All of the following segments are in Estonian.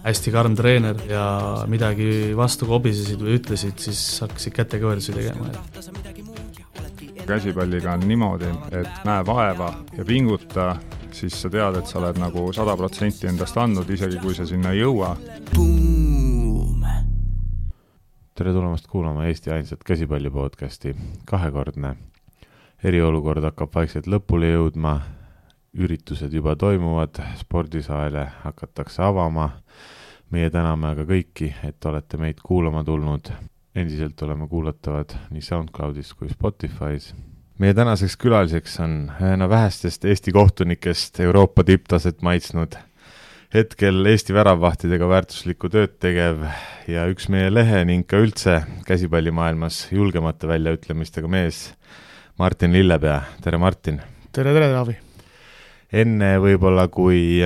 hästi karm treener ja midagi vastu kobisesid või ütlesid, siis hakkasid kätekõverdusi tegema. Käsipalliga on niimoodi, et näe vaeva ja pinguta, siis sa tead, et sa oled nagu 100% endast andnud, isegi kui sa sinna ei jõua. Tere tulemast kuulama Eesti ainsat käsipalli podcasti. Kahekordne eriolukord hakkab vaikselt lõpule jõudma, üritused juba toimuvad, spordisaale hakatakse avama. Meie täname aga kõiki, et olete meid kuulama tulnud. Endiselt oleme kuulatavad nii SoundCloudis kui Spotify's. Meie tänaseks külaliseks on ühena vähestest Eesti kohtunikest Euroopa tipptaset maitsnud, hetkel Eesti väravvahtidega väärtuslikku tööd tegev ja üks meie lehe ning ka üldse käsipallimaailmas julgemate väljaütlemistega mees Martin Lillepea. Tere Martin! Tere, Taavi! Enne võib-olla kui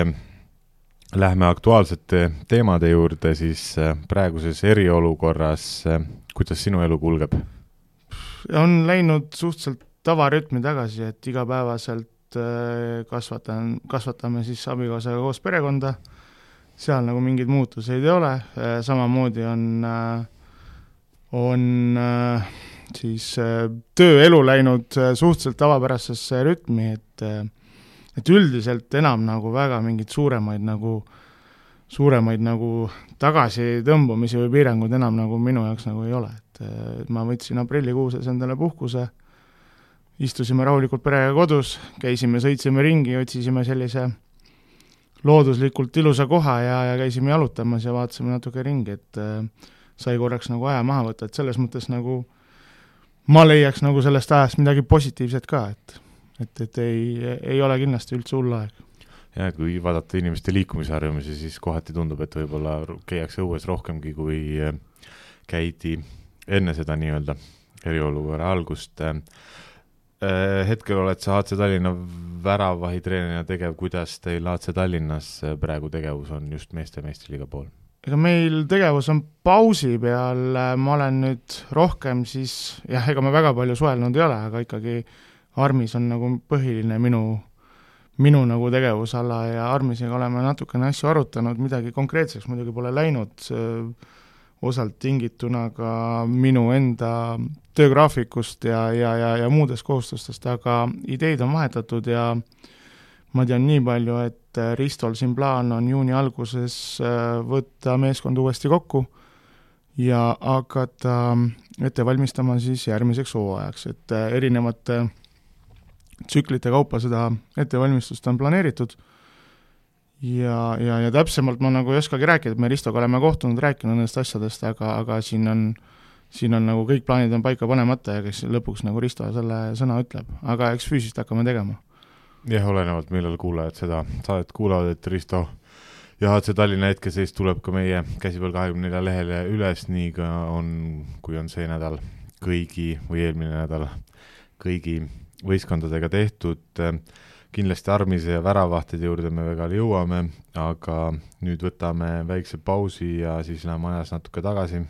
lähme aktuaalsete teemade juurde, siis praeguses eriolukorras, kuidas sinu elu kulgeb? On läinud suhteliselt tavarütmi tagasi, et igapäevaselt kasvatame siis abikaasaga koos perekonda, seal nagu mingeid muutuseid ei ole, samamoodi on siis tööelu läinud suhteliselt tavapärasesse rütmi, et üldiselt enam nagu väga mingid suuremaid nagu tagasitõmbumisi või piirangud enam nagu minu jaoks nagu ei ole, et ma võtsin aprillikuuses endale puhkuse, istusime rahulikult perega kodus, sõitsime ringi, otsisime sellise looduslikult ilusa koha ja käisime jalutamas ja vaatasime natuke ringi, et sai korraks nagu aja maha võtta, et selles mõttes nagu ma leiaks nagu sellest ajast midagi positiivset ka, et ei ole kindlasti üldse hull aeg. Ja kui vaadata inimeste liikumisharjumisi, siis kohati tundub, et võib-olla käiakse õues rohkemgi, kui käidi enne seda nii-öelda eriolukorra algust. Hetkel oled sa HC Tallinna väravvahitreenerina tegev, kuidas teil HC Tallinnas praegu tegevus on just meeste meistriliiga pool? Ega meil tegevus on pausi peal, ma olen nüüd rohkem siis, ega me väga palju suhelnud ei ole, aga ikkagi Armis on nagu põhiline minu nagu tegevusala ja Armisega oleme natukene asju arutanud, midagi konkreetseks muidugi pole läinud, osalt tingituna ka minu enda töögraafikust ja muudest kohustustest, aga ideid on vahetatud ja ma tean nii palju, et Ristol siin plaan on juuni alguses võtta meeskond uuesti kokku ja hakata ette valmistama siis järgmiseks hooajaks, et erinevate tsüklite kaupa seda ettevalmistust on planeeritud ja täpsemalt ma nagu ei oskagi rääkida, et me Ristoga oleme kohtunud, rääkinud nendest asjadest, aga siin on nagu kõik plaanid on paika panemata ja kes lõpuks nagu Risto selle sõna ütleb, aga eks füüsist hakkame tegema. Jah, olenevalt millal kuulajad seda saadet kuulavad, et Risto ja HC Tallinna hetkeseis tuleb ka meie Käsipall 24 lehele üles, nii ka kui on see nädal kõigi või eelmine nädal kõigi võistkondadega tehtud. Kindlasti Armise ja väravvahtide juurde me väga jõuame, aga nüüd võtame väikse pausi ja siis läheme ajas natuke tagasi.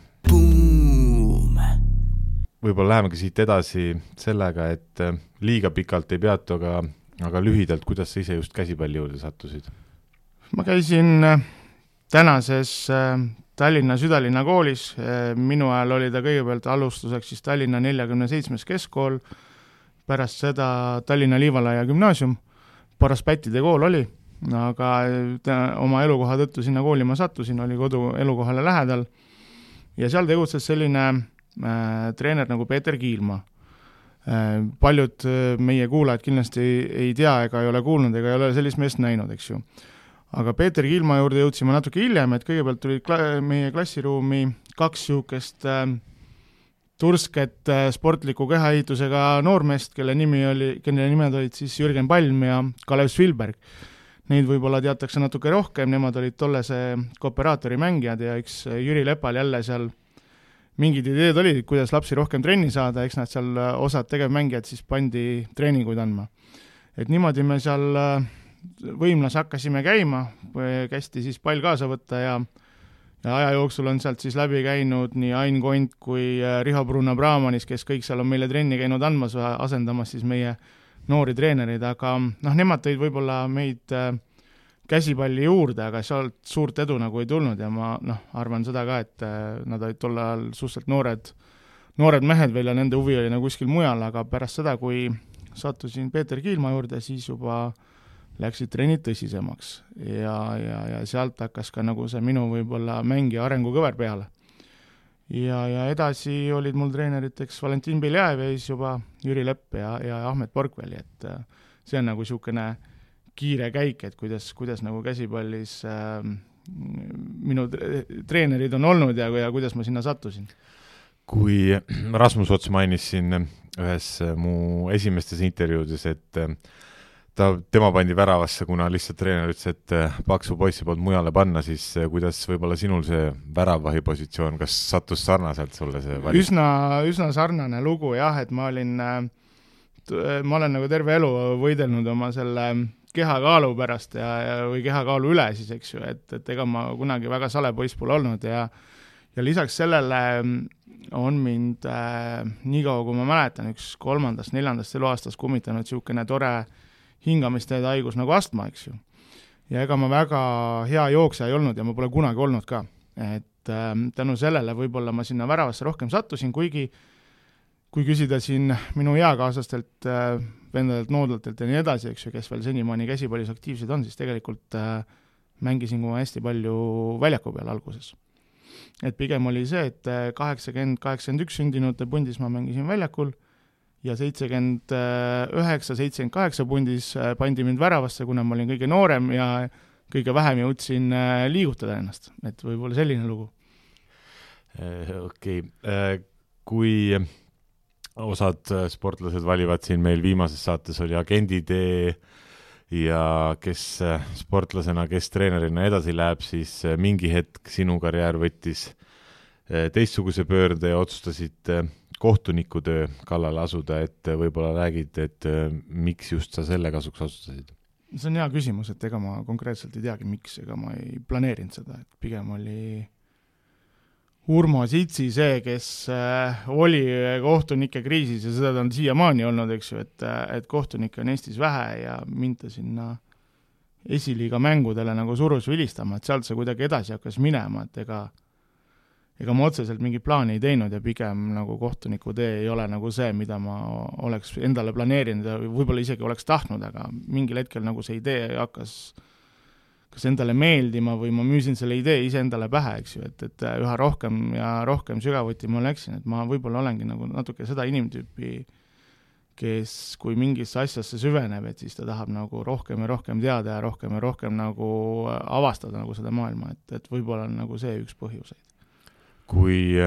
Võib-olla lähemegi siit edasi sellega, et liiga pikalt ei peatu, aga lühidalt, kuidas sa ise just käsipalli juurde sattusid? Ma käisin tänases Tallinna Südalinna koolis, minu ajal oli ta kõigepealt alustuseks siis Tallinna 47. keskkool, pärast seda Tallinna Liivalaia gümnaasium, paras pättide kool oli, aga oma elukoha tõttu sinna kooli ma sattusin, oli kodu elukohale lähedal ja seal tegutses selline treener nagu Peeter Kiilma. Paljud meie kuulajad kindlasti ei tea ega ei ole kuulnud ega ei ole sellist meest näinud, eks ju. Aga Peeter Kiilma juurde jõudsime natuke hiljem, et kõigepealt tuli meie klassiruumi kaks siukest tursket sportliku kehaehitusega noormeest, kelle nimed olid siis Jürgen Palm ja Kalev Svilberg. Neid võib-olla teatakse natuke rohkem, nemad olid tollese kooperaatori mängijad ja eks Jüri Lepal jälle seal mingid ideed olid, kuidas lapsi rohkem trenni saada, eks nad seal osad tegevmängijad siis pandi treeninguid andma. Et niimoodi me seal võimlas hakkasime käima, kästi siis pall kaasa võtta ja aja jooksul on sealt siis läbi käinud nii Ain Kont kui Riho Bruna-Brahmanis, kes kõik seal on meile trenni käinud andmas, asendamas siis meie noori treenereid, aga nemad tõid võib-olla meid käsipalli juurde, aga sealt suurt edu nagu ei tulnud ja ma arvan seda ka, et nad olid tol ajal suhteliselt noored mehed veel ja nende huvi oli nagu kuskil mujal, aga pärast seda, kui sattusin Peeter Kiilma juurde, siis juba läksid trennid tõsisemaks ja sealt hakkas ka nagu see minu võib-olla mängija arengukõver peale. Ja edasi olid mul treeneriteks Valentin Beljaev ja siis juba Jüri Lepp ja Ahmet Porkveli, et see on nagu niisugune kiire käik, et kuidas nagu käsipallis minu treenerid on olnud ja kuidas ma sinna sattusin. Kui Rasmus Ots mainis siin ühes mu esimestes intervjuudes, et tema pandi väravasse, kuna lihtsalt treener ütles, et paksu poissi polnud mujale panna, siis kuidas võib-olla sinul see väravahi positsioon, kas sattus sarnaselt sulle see valik? Üsna sarnane lugu jah, et ma olen nagu terve elu võidelnud oma selle kehakaalu pärast või kehakaalu üle siis, eks ju, et ega ma kunagi väga sale poiss pole olnud ja lisaks sellele on mind nii kaua, kui ma mäletan, üks 3.-4. eluaastas kummitanud niisugune tore hingamisteede haigus nagu astma, eks ju. Ja ega ma väga hea jooksja ei olnud ja ma pole kunagi olnud ka. Et tänu sellele võib-olla ma sinna väravasse rohkem sattusin, kuigi kui küsida siin minu eakaaslastelt, vendadelt, noodlatelt ja nii edasi, eks ju, kes veel senimaani käsipallis aktiivsed on, siis tegelikult mängisin kui hästi palju väljaku peal alguses. Et pigem oli see, et 80-81 sündinute pundis ma mängisin väljakul ja 79-78 pundis pandi mind väravasse, kuna ma olin kõige noorem ja kõige vähem jõudsin liigutada ennast. Et võib-olla selline lugu. Okei. Kui osad sportlased valivad siin meil viimases saates oli agenditee ja kes sportlasena, kes treenerina edasi läheb, siis mingi hetk sinu karjäär võttis teistsuguse pöörde ja otsustasid kohtunikutöö kallale asuda, et võib-olla räägid, et miks just sa selle kasuks otsustasid? See on hea küsimus, et ega ma konkreetselt ei teagi, miks, ega ma ei planeerinud seda, et pigem oli Urmo Sitsi see, kes oli kohtunike kriisis ja seda on siiamaani olnud, eks ju, et kohtunikke on Eestis vähe ja mind ta sinna esiliiga mängudele nagu surus vilistama, et sealt see kuidagi edasi hakkas minema, et ega ma otseselt mingi plaani ei teinud ja pigem nagu kohtuniku tee ei ole nagu see, mida ma oleks endale planeerinud ja võib-olla isegi oleks tahtnud, aga mingil hetkel nagu see idee hakkas kas endale meeldima või ma müüsin selle idee ise endale pähe, eks ju, et üha rohkem ja rohkem sügavuti ma läksin, et ma võib-olla olengi nagu natuke seda inimtüüpi, kes kui mingisse asjasse süveneb, et siis ta tahab nagu rohkem ja rohkem teada ja rohkem nagu avastada nagu seda maailma, et võib-olla on nagu see üks põhjuseid. Kui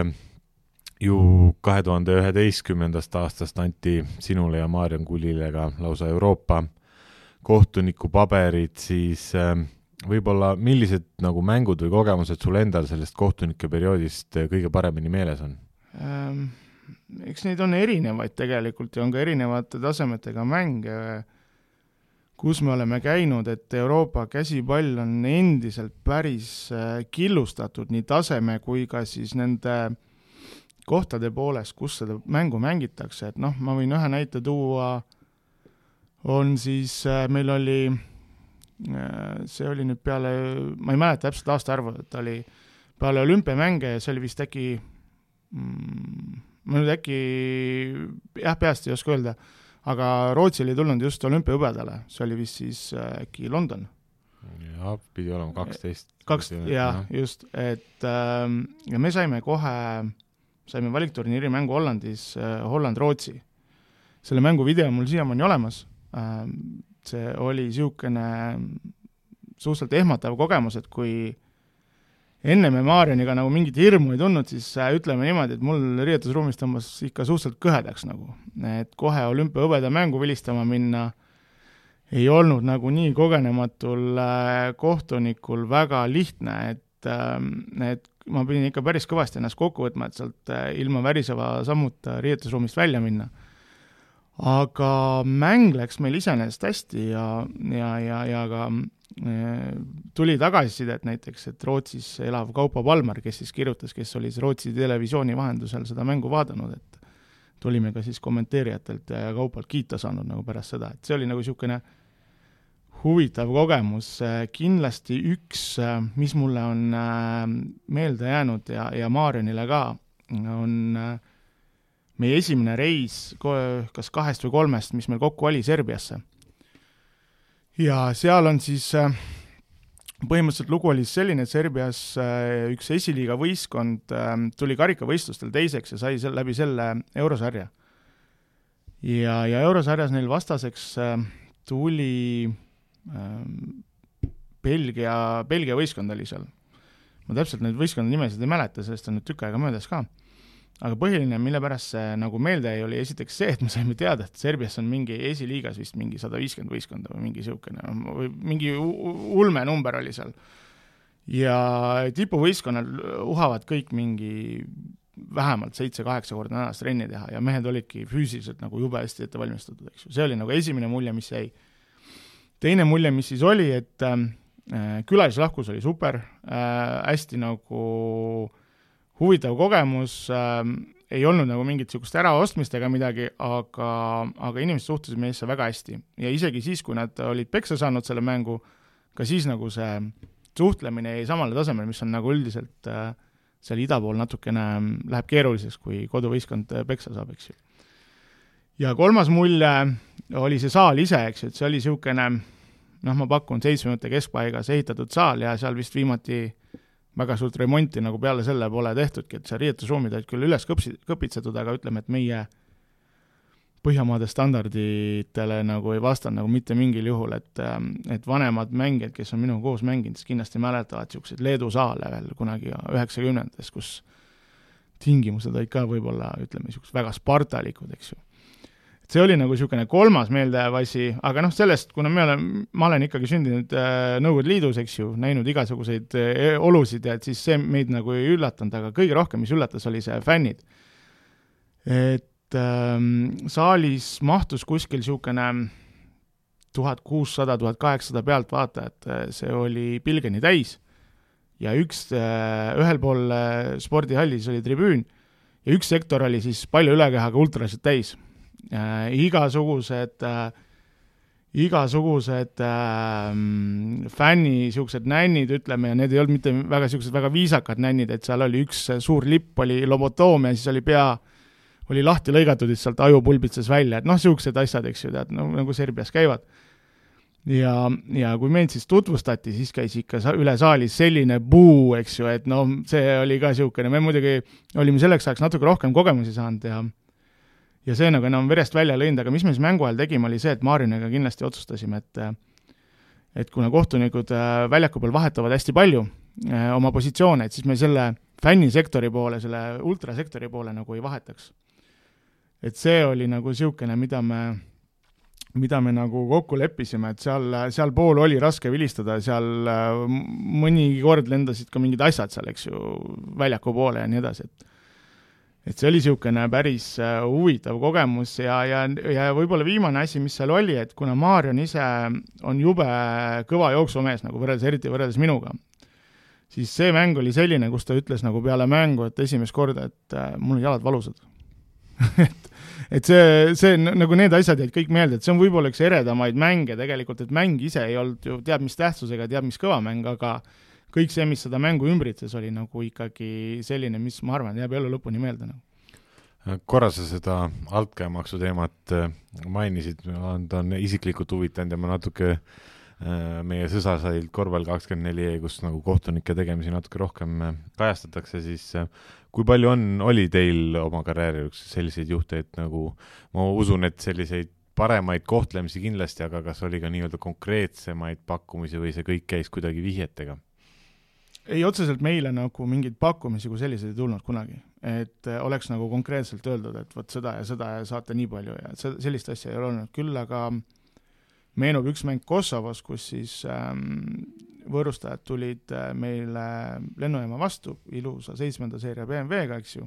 ju 2011. aastast anti sinule ja Maarjan Kulile ka lausa Euroopa kohtuniku paberid, siis võib-olla millised nagu mängud või kogemused sul endal sellest kohtunike perioodist kõige paremini meeles on? Eks neid on erinevaid tegelikult ja on ka erinevate tasemetega mänge, kus me oleme käinud, et Euroopa käsipall on endiselt päris killustatud nii taseme kui ka siis nende kohtade poolest, kus seda mängu mängitakse. Et ma võin ühe näite tuua, on siis, meil oli see oli nüüd peale, ma ei mäleta täpselt aastaarvu, et oli peale olümpiamänge ja see oli vist äkki ma nüüd äkki peast ei oska öelda, aga Rootsi oli tulnud just olümpiahõbedale, see oli vist siis äkki London. Ja, pidi olema 12. Just, et ja me saime valikturniiri mängu Hollandis, Holland-Rootsi. Selle mängu video mul siiamaani olemas. See oli niisugune suhteliselt ehmatav kogemus, et kui enne me Maarjaniga nagu mingit hirmu ei tundnud, siis ütleme niimoodi, et mul riietusruumis tõmbas ikka suhteliselt kõhedaks nagu. Et kohe olümpiahõbeda mängu vilistama minna ei olnud nagu nii kogenematul kohtunikul väga lihtne, et ma pidin ikka päris kõvasti ennast kokku võtma, et sealt ilma väriseva sammuta riietusruumist välja minna. Aga mäng läks meil iseenesest hästi ja ka tuli tagasisidet näiteks, et Rootsis elav Kaupo Palmer, kes siis kirjutas, kes oli Rootsi televisiooni vahendusel seda mängu vaadanud, et tulime ka siis kommenteerijatelt ja Kaupolt kiita saanud nagu pärast seda, et see oli nagu niisugune huvitav kogemus, kindlasti üks, mis mulle on meelde jäänud ja Marionile ka, on meie esimene reis kas 2 või 3, mis meil kokku oli Serbiasse. Ja seal on siis põhimõtteliselt lugu oli selline, et Serbias üks esiliiga võistkond tuli karikavõistlustel teiseks ja sai läbi selle eurosarja. Ja eurosarjas neil vastaseks tuli Belgia võistkond oli seal. Ma täpselt neid võistkonna nimesid ei mäleta, sellest on nüüd tükk aega möödas ka. Aga põhiline, mille pärast see nagu meelde ei oli esiteks see, et me saime teada, et Serbias on mingi esiliigas vist mingi 150 võistkonda või mingi siukene, või mingi ulme number oli seal. Ja tipuvõistkonnal uhavad kõik mingi vähemalt 7-8 korda nädalas trenni teha ja mehed olidki füüsiliselt nagu jube hästi ette valmistatud, eks ju. See oli nagu esimene mulje, mis jäi. Teine mulje, mis siis oli, et külalislahkus oli super, hästi nagu huvitav kogemus, ei olnud nagu mingit sihukest äraostmist ega midagi, aga inimesed suhtusid meisse väga hästi. Ja isegi siis, kui nad olid peksa saanud selle mängu, ka siis nagu see suhtlemine jäi samale tasemel, mis on nagu üldiselt seal ida pool natukene läheb keeruliseks, kui koduvõistkond peksa saab, eks ju. Ja 3. mulje oli see saal ise, eks ju, et see oli sihukene, ma pakun 7 minuti keskpaigas ehitatud saal ja seal vist viimati väga suurt remonti nagu peale selle pole tehtudki, et see riietusruumid olid küll üles kõpitsetud, aga ütleme, et meie Põhjamaade standarditele nagu ei vastanud nagu mitte mingil juhul, et vanemad mängijad, kes on minuga koos mänginud, kindlasti mäletavad siukseid Leedu saale veel kunagi 90-ndates, kus tingimused olid ka võib-olla, ütleme, siuksed väga spartalikud, eks ju. See oli nagu siukene 3. meeldejääv asi, aga sellest, kuna ma olen ikkagi sündinud Nõukogude Liidus, eks ju, näinud igasuguseid olusid ja et siis see meid nagu ei üllatanud, aga kõige rohkem, mis üllatas, oli see fännid. Et saalis mahtus kuskil siukene 1600-1800 pealt vaatajat, see oli pilgeni täis ja ühel pool spordihallis oli tribüün ja üks sektor oli siis palju ülekehaga ultrasid täis. Igasugused fänni siuksed nännid, ütleme, ja need ei olnud mitte väga siuksed väga viisakad nännid, et seal oli üks suur lipp, oli lobotoomia, siis oli pea oli lahti lõigatud, et sealt aju pulbitses välja, et siuksed asjad, eks ju, tead, nagu Serbias käivad. Ja kui meid siis tutvustati, siis käis ikka üle saalis selline buu, eks ju, et see oli ka siukene, me muidugi olime selleks ajaks natuke rohkem kogemusi saanud ja see nagu enam verest välja lõinud, aga mis me siis mängu ajal tegime, oli see, et Marioniga kindlasti otsustasime, et kuna kohtunikud väljaku peal vahetavad hästi palju oma positsioone, et siis me selle fännisektori poole, selle ultrasektori poole nagu ei vahetaks. Et see oli nagu siukene, mida me nagu kokku leppisime, et seal pool oli raske vilistada, seal mõni kord lendasid ka mingid asjad seal, eks ju, väljaku poole ja nii edasi, et see oli siukene päris huvitav kogemus ja võib-olla viimane asi, mis seal oli, et kuna Marion ise on jube kõva jooksumees, nagu eriti võrreldes minuga, siis see mäng oli selline, kus ta ütles nagu peale mängu, et esimest korda, et mul on jalad valusad. et see nagu need asjad jäid kõik meelde, et see on võib-olla üks eredamaid mänge tegelikult, et mäng ise ei olnud ju teab mis tähtsusega, teab mis kõva mäng, aga kõik see, mis seda mängu ümbritses, oli nagu ikkagi selline, mis ma arvan, jääb elu lõpuni meelde. Korra sa seda altkäemaksu teemat mainisid, ta on isiklikult huvitanud ja ma natuke meie sõsasailt Korvpall 24, kus nagu kohtunike tegemisi natuke rohkem kajastatakse, siis kui palju oli teil oma karjääri selliseid juhte, et nagu ma usun, et selliseid paremaid kohtlemisi kindlasti, aga kas oli ka nii-öelda konkreetsemaid pakkumisi või see kõik käis kuidagi vihjetega? Ei, otseselt meile nagu mingeid pakkumisi kui selliseid ei tulnud kunagi, et oleks nagu konkreetselt öeldud, et võt seda ja saate nii palju ja sellist asja ei ole olnud küll, aga meenub üks mäng Kosovos, kus siis võõrustajad tulid meile lennujaama vastu, ilusa 7. seeria BMW-ga, eks ju.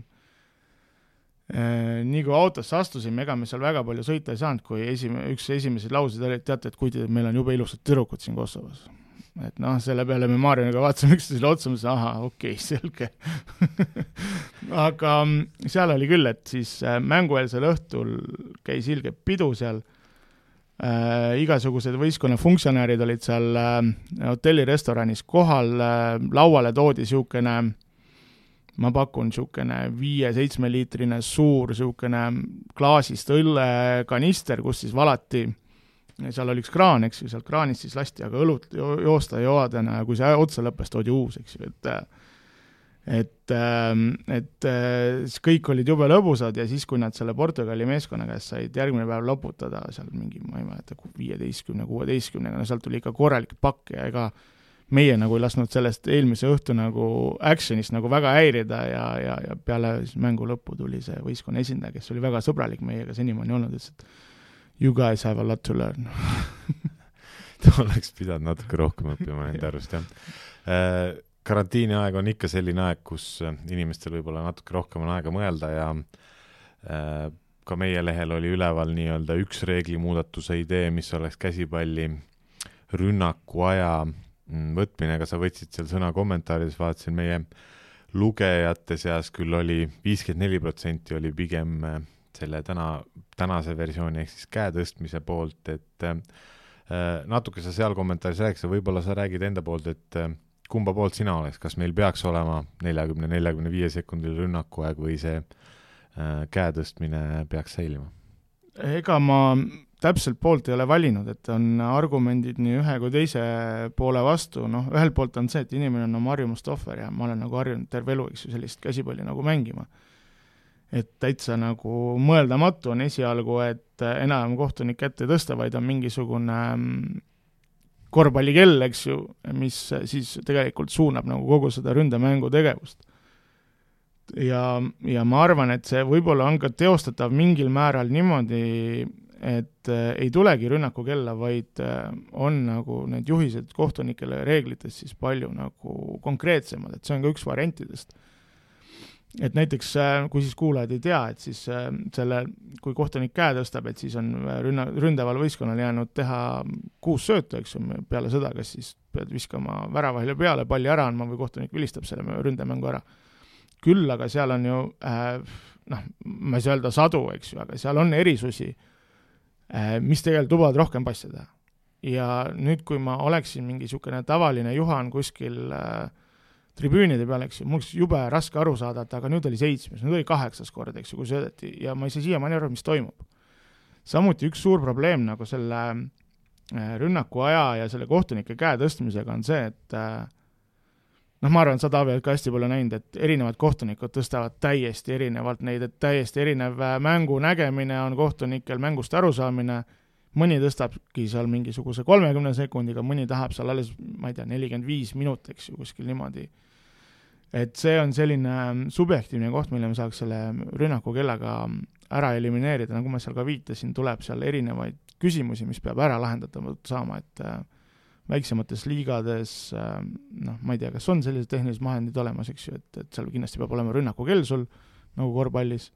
Nii kui autosse astusime, ega me seal väga palju sõita ei saanud, kui üks esimesed lausid oli, et teate, et kuid meil on jube ilusad tüdrukud siin Kosovos. Et selle peale me Marioniga vaatasime üksteisele otsa, mõtlesin, okei, selge. Aga seal oli küll, et siis mängueelsel õhtul käis ilge pidu seal, igasugused võistkonna funktsionäärid olid seal hotellirestoranis kohal, lauale toodi siukene, ma pakun siukene 5-7 liitrine suur siukene klaasist õllekanister, kus siis valati, seal oli üks kraan, eks ju, sealt kraanist siis lasti, aga õlut joosta joadena ja kui see otsa lõppes, toodi uus, eks ju, et kõik olid jube lõbusad ja siis, kui nad selle Portugali meeskonna käest said järgmine päev loputada seal mingi, ma ei mäleta, 15-16, no sealt tuli ikka korralik pakk ja ega meie nagu ei lasknud sellest eelmise õhtu nagu actionist nagu väga häirida ja peale mängu lõppu tuli see võistkonna esindaja, kes oli väga sõbralik meiega senimaani olnud, ütles, et you guys have a lot to learn. Ta oleks pidanud natuke rohkem õppima nende arvust, jah. Karantiini aeg on ikka selline aeg, kus inimestel võib-olla natuke rohkem on aega mõelda ja ka meie lehel oli üleval nii-öelda üks reeglimuudatuse idee, mis oleks käsipalli rünnaku aja võtmine, aga sa võtsid seal sõna kommentaarides, vaatasin meie lugejate seas küll oli 54% oli pigem selle tänase versiooni ehk siis käe tõstmise poolt, et natuke sa seal kommentaaris rääkis ja võib-olla sa räägid enda poolt, et kumba poolt sina oleks, kas meil peaks olema 40-45 sekundil rünnakuaeg või see käe tõstmine peaks säilima? Ega ma täpselt poolt ei ole valinud, et on argumendid nii ühe kui teise poole vastu, noh, ühel poolt on see, et inimene on oma harjumust ohver ja ma olen nagu harjunud terve elu, eks ju, sellist käsipalli nagu mängima. Et täitsa nagu mõeldamatu on esialgu, et enam kohtunik ette ei tõsta, vaid on mingisugune korvpallikell, eks ju, mis siis tegelikult suunab nagu kogu seda ründemängu tegevust. Ja ma arvan, et see võib-olla on ka teostatav mingil määral niimoodi, et ei tulegi rünnaku kella, vaid on nagu need juhised kohtunikele reeglites siis palju nagu konkreetsemad, et see on ka üks variantidest. Et näiteks, kui siis kuulajad ei tea, et siis kui kohtunik käe tõstab, et siis on ründaval võistkonnal jäänud teha 6 söötu, eks ju, peale seda, kas siis pead viskama väravahile peale, palli ära andma või kohtunik vilistab selle ründemängu ära. Küll, aga seal on ju, ma ei saa öelda sadu, eks ju, aga seal on erisusi, mis tegelikult lubavad rohkem passi teha. Ja nüüd, kui ma oleksin mingi niisugune tavaline Juhan kuskil tribüünide peal, eks ju, mul oleks jube raske aru saada, et aga nüüd oli 7, nüüd oli 8 kord, eks ju, kui söödeti ja ma ei saa siiamaani aru, mis toimub. Samuti üks suur probleem nagu selle rünnaku aja ja selle kohtunike käe tõstmisega on see, et ma arvan, sa Taavi oled ka hästi palju näinud, et erinevad kohtunikud tõstavad täiesti erinevalt neid, et täiesti erinev mängu nägemine on kohtunikel mängust arusaamine, mõni tõstabki seal mingisuguse 30 sekundiga, mõni tahab seal alles, ma ei tea, 45 minut, eks ju, kuskil niimoodi. Et see on selline subjektiivne koht, mille me saaks selle rünnaku kellaga ära elimineerida, nagu ma seal ka viitasin, tuleb seal erinevaid küsimusi, mis peab ära lahendatama saama, et väiksemates liigades, ma ei tea, kas on sellised tehnilised vahendid olemas, eks ju, et seal kindlasti peab olema rünnaku kell sul, nagu korvpallis,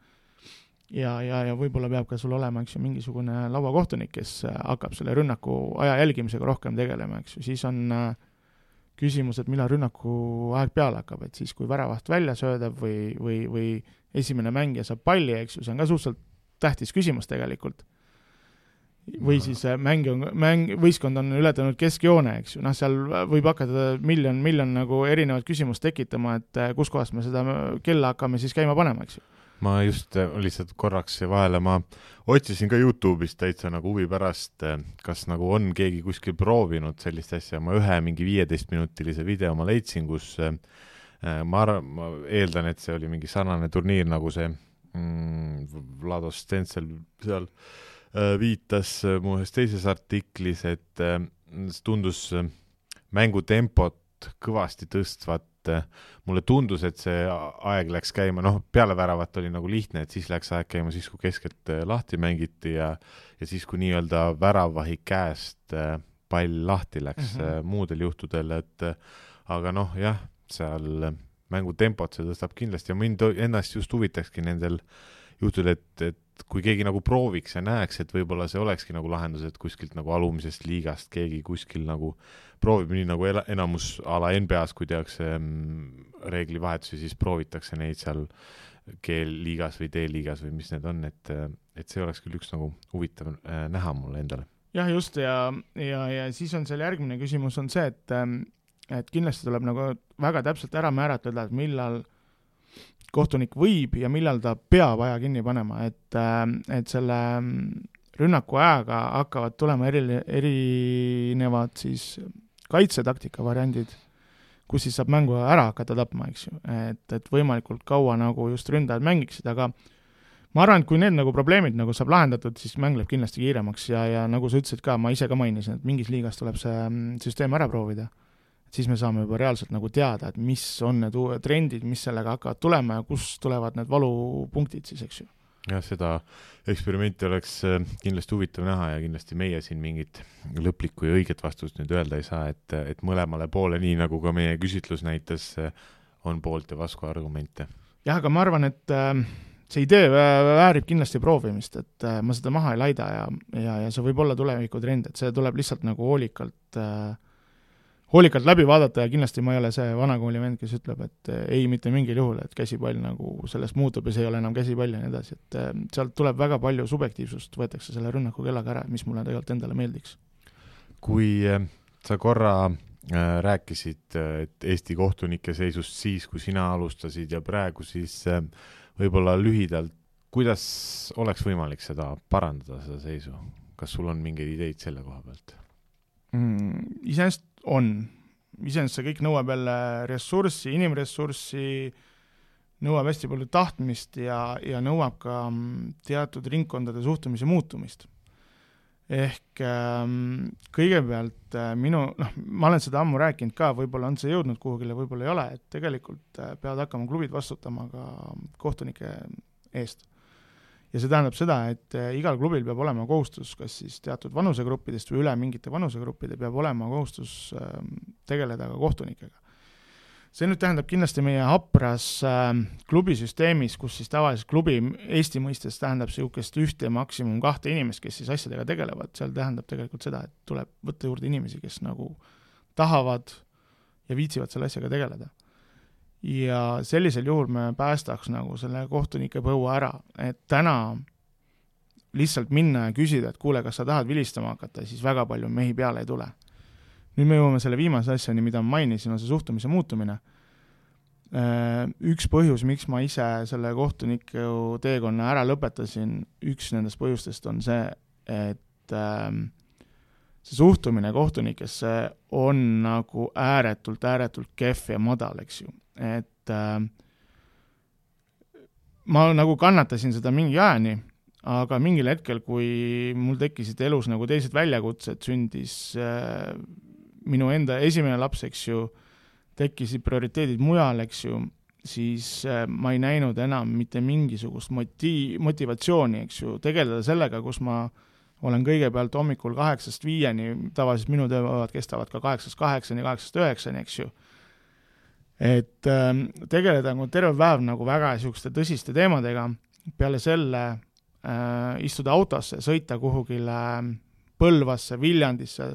ja võib-olla peab ka sul olema, eks ju, mingisugune lauakohtunik, kes hakkab selle rünnaku aja jälgimisega rohkem tegelema, eks ju, siis on küsimus, et millal rünnaku aeg peale hakkab, et siis, kui väravaht välja söödab või esimene mängija saab palli, eks ju, see on ka suhteliselt tähtis küsimus tegelikult. Või siis võistkond on ületanud keskjoone, eks ju, seal võib hakata miljon nagu erinevat küsimust tekitama, et kus kohast me seda kella hakkame siis käima panema, eks ju. Ma just lihtsalt korraks vahele, ma otsisin ka YouTube'ist täitsa nagu huvi pärast, kas nagu on keegi kuskil proovinud sellist asja, ma ühe mingi 15-minutilise video ma leidsin, kus ma eeldan, et see oli mingi sarnane turniir nagu see Vlado Stensel seal viitas mu ühes teises artiklis, et tundus mängutempot kõvasti tõstvat. Mulle tundus, et see aeg läks käima, peale väravat oli nagu lihtne, et siis läks aeg käima siis, kui keskelt lahti mängiti ja siis, kui nii-öelda väravahi käest pall lahti läks muudel juhtudel, et aga jah, seal mängutempot see tõstab kindlasti ja mind ennast just huvitakski nendel juhtudel, et kui keegi nagu prooviks ja näeks, et võib-olla see olekski nagu lahendus, et kuskilt nagu alumisest liigast keegi kuskil nagu proovib nii nagu enamus ala NBA-s, kui tehakse reeglivahetusi, siis proovitakse neid seal G-liigas või D-liigas või mis need on, et see oleks küll üks nagu huvitav näha mulle endale. jah, just, ja siis on seal järgmine küsimus on see, et kindlasti tuleb nagu väga täpselt ära määratleda, et millal kohtunik võib ja millal ta peab aja kinni panema, et selle rünnaku ajaga hakkavad tulema erinevad siis kaitsetaktika variandid, kus siis saab mängu ära hakata tapma, eks ju, et võimalikult kaua nagu just ründajad mängiksid, aga ma arvan, et kui need nagu probleemid nagu saab lahendatud, siis mäng läheb kindlasti kiiremaks ja nagu sa ütlesid ka, ma ise ka mainisin, et mingis liigas tuleb see süsteem ära proovida, siis me saame juba reaalselt nagu teada, et mis on need uued trendid, mis sellega hakkavad tulema ja kus tulevad need valupunktid siis, eks ju. Jah, seda eksperimenti oleks kindlasti huvitav näha ja kindlasti meie siin mingit lõplikku ja õiget vastust nüüd öelda ei saa, et mõlemale poole, nii nagu ka meie küsitlus näitas, on poolt ja vastu argumente. Jah, aga ma arvan, et see idee väärib kindlasti proovimist, et ma seda maha ei laida ja see võib olla tulevikutrend, et see tuleb lihtsalt nagu hoolikalt läbi vaadata ja kindlasti ma ei ole see vanakooli vend, kes ütleb, et ei mitte mingil juhul, et käsipall nagu sellest muutub ja see ei ole enam käsipall ja nii edasi, et sealt tuleb väga palju subjektiivsust, võetakse selle rünnaku kellaga ära, mis mulle tegelikult endale meeldiks. Kui sa korra rääkisid, et Eesti kohtunike seisust siis, kui sina alustasid ja praegu, siis võib-olla lühidalt, kuidas oleks võimalik seda parandada, seda seisu? Kas sul on mingeid ideid selle koha pealt? Iseenesest see kõik nõuab jälle ressurssi, inimressurssi, nõuab hästi palju tahtmist ja nõuab ka teatud ringkondade suhtumise muutumist. Ehk kõigepealt ma olen seda ammu rääkinud ka, võib-olla on see jõudnud kuhugile, võib-olla ei ole, et tegelikult peavad hakkama klubid vastutama ka kohtunike eest. Ja see tähendab seda, et igal klubil peab olema kohustus, kas siis teatud vanusegruppidest või üle mingite vanusegruppide peab olema kohustus tegeleda ka kohtunikega. See nüüd tähendab kindlasti meie hapras klubisüsteemis, kus siis tavaliselt klubi Eesti mõistes tähendab niisugust 1 maksimum 2 inimest, kes siis asjadega tegelevad. Seal tähendab tegelikult seda, et tuleb võtta juurde inimesi, kes nagu tahavad ja viitsivad selle asjaga tegeleda. Ja sellisel juhul me päästaks nagu selle kohtunike põua ära, et täna lihtsalt minna ja küsida, et kuule, kas sa tahad vilistama hakata, siis väga palju mehi peale ei tule. Nüüd me jõuame selle viimase asjani, mida ma mainisin, on see suhtumise muutumine. Üks põhjus, miks ma ise selle kohtuniku teekonna ära lõpetasin, üks nendest põhjustest on see, et see suhtumine kohtunikesse on nagu ääretult kehv ja madal, eks ju. Et ma nagu kannatasin seda mingi ajani, aga mingil hetkel, kui mul tekkisid elus nagu teised väljakutsed, sündis minu enda esimene laps, eks ju, tekkisid prioriteedid mujal, eks ju, siis ma ei näinud enam mitte mingisugust motivatsiooni, eks ju, tegeleda sellega, kus ma olen kõigepealt hommikul 8-5, tavaliselt minu tööpäevad kestavad ka 8-8, 8-9, eks ju. Et tegeleda nagu terve päev nagu väga niisuguste tõsiste teemadega, peale selle istuda autosse, sõita kuhugile Põlvasse, Viljandisse,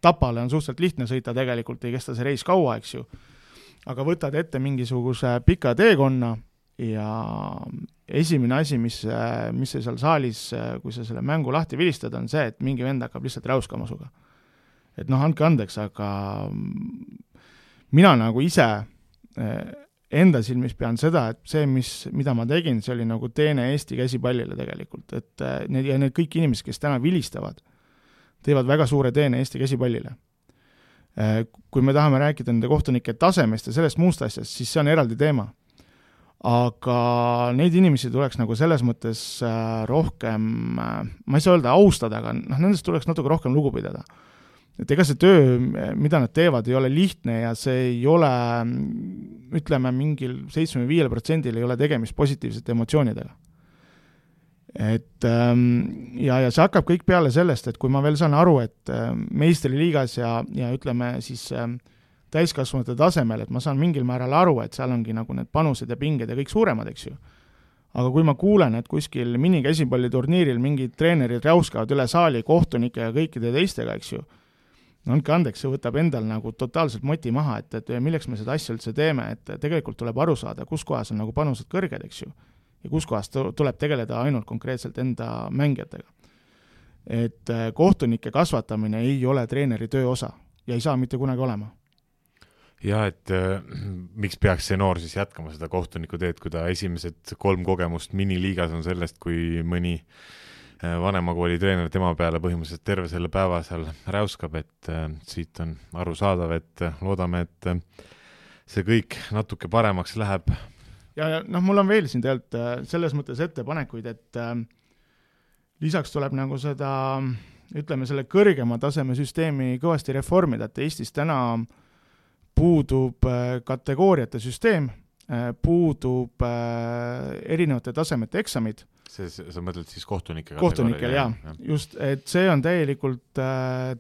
Tapale on suhteliselt lihtne sõita, tegelikult ei kesta see reis kaua, eks ju, aga võtad ette mingisuguse pika teekonna ja esimene asi, mis see seal saalis, kui sa selle mängu lahti vilistad, on see, et mingi vend hakkab lihtsalt räuskama suga. Et andke andeks, aga mina nagu ise enda silmis pean seda, et see, mida ma tegin, see oli nagu teene Eesti käsipallile tegelikult, et need kõik inimesed, kes täna vilistavad, teevad väga suure teene Eesti käsipallile. Kui me tahame rääkida nende kohtunike tasemest ja sellest muust asjast, siis see on eraldi teema. Aga neid inimesi tuleks nagu selles mõttes rohkem, ma ei saa öelda austada, aga nendest tuleks natuke rohkem lugu pidada. Et ega see töö, mida nad teevad, ei ole lihtne ja see ei ole, ütleme, mingil 75% ei ole tegemist positiivsete emotsioonidega. Et ja see hakkab kõik peale sellest, et kui ma veel saan aru, et meistriliigas ja ütleme siis täiskasvanute tasemel, et ma saan mingil määral aru, et seal ongi nagu need panused ja pinged ja kõik suuremad, eks ju. Aga kui ma kuulen, et kuskil minikäsipalliturniiril mingid treenerid räuskavad üle saali kohtunike ja kõikide teistega, eks ju, andke andeks, see võtab endal nagu totaalselt moti maha, et milleks me seda asja üldse teeme, et tegelikult tuleb aru saada, kus kohas on nagu panused kõrged, eks ju, ja kus kohas tuleb tegeleda ainult konkreetselt enda mängijatega. et kohtunike kasvatamine ei ole treeneri töö osa ja ei saa mitte kunagi olema. Ja et miks peaks see noor siis jätkama seda kohtuniku teed, kui ta esimesed 3 kogemust miniliigas on sellest, kui mõni vanemakooli treener tema peale põhimõtteliselt terve selle päeva seal räuskab, et siit on arusaadav, et loodame, et see kõik natuke paremaks läheb. Ja mul on veel siin tegelikult selles mõttes ettepanekuid, et lisaks tuleb nagu seda, ütleme, selle kõrgema taseme süsteemi kõvasti reformida, et Eestis täna puudub kategooriate süsteem, puudub erinevate tasemete eksamid. Sa mõtled siis kohtunike kohtunikel, jah. Just, et see on täielikult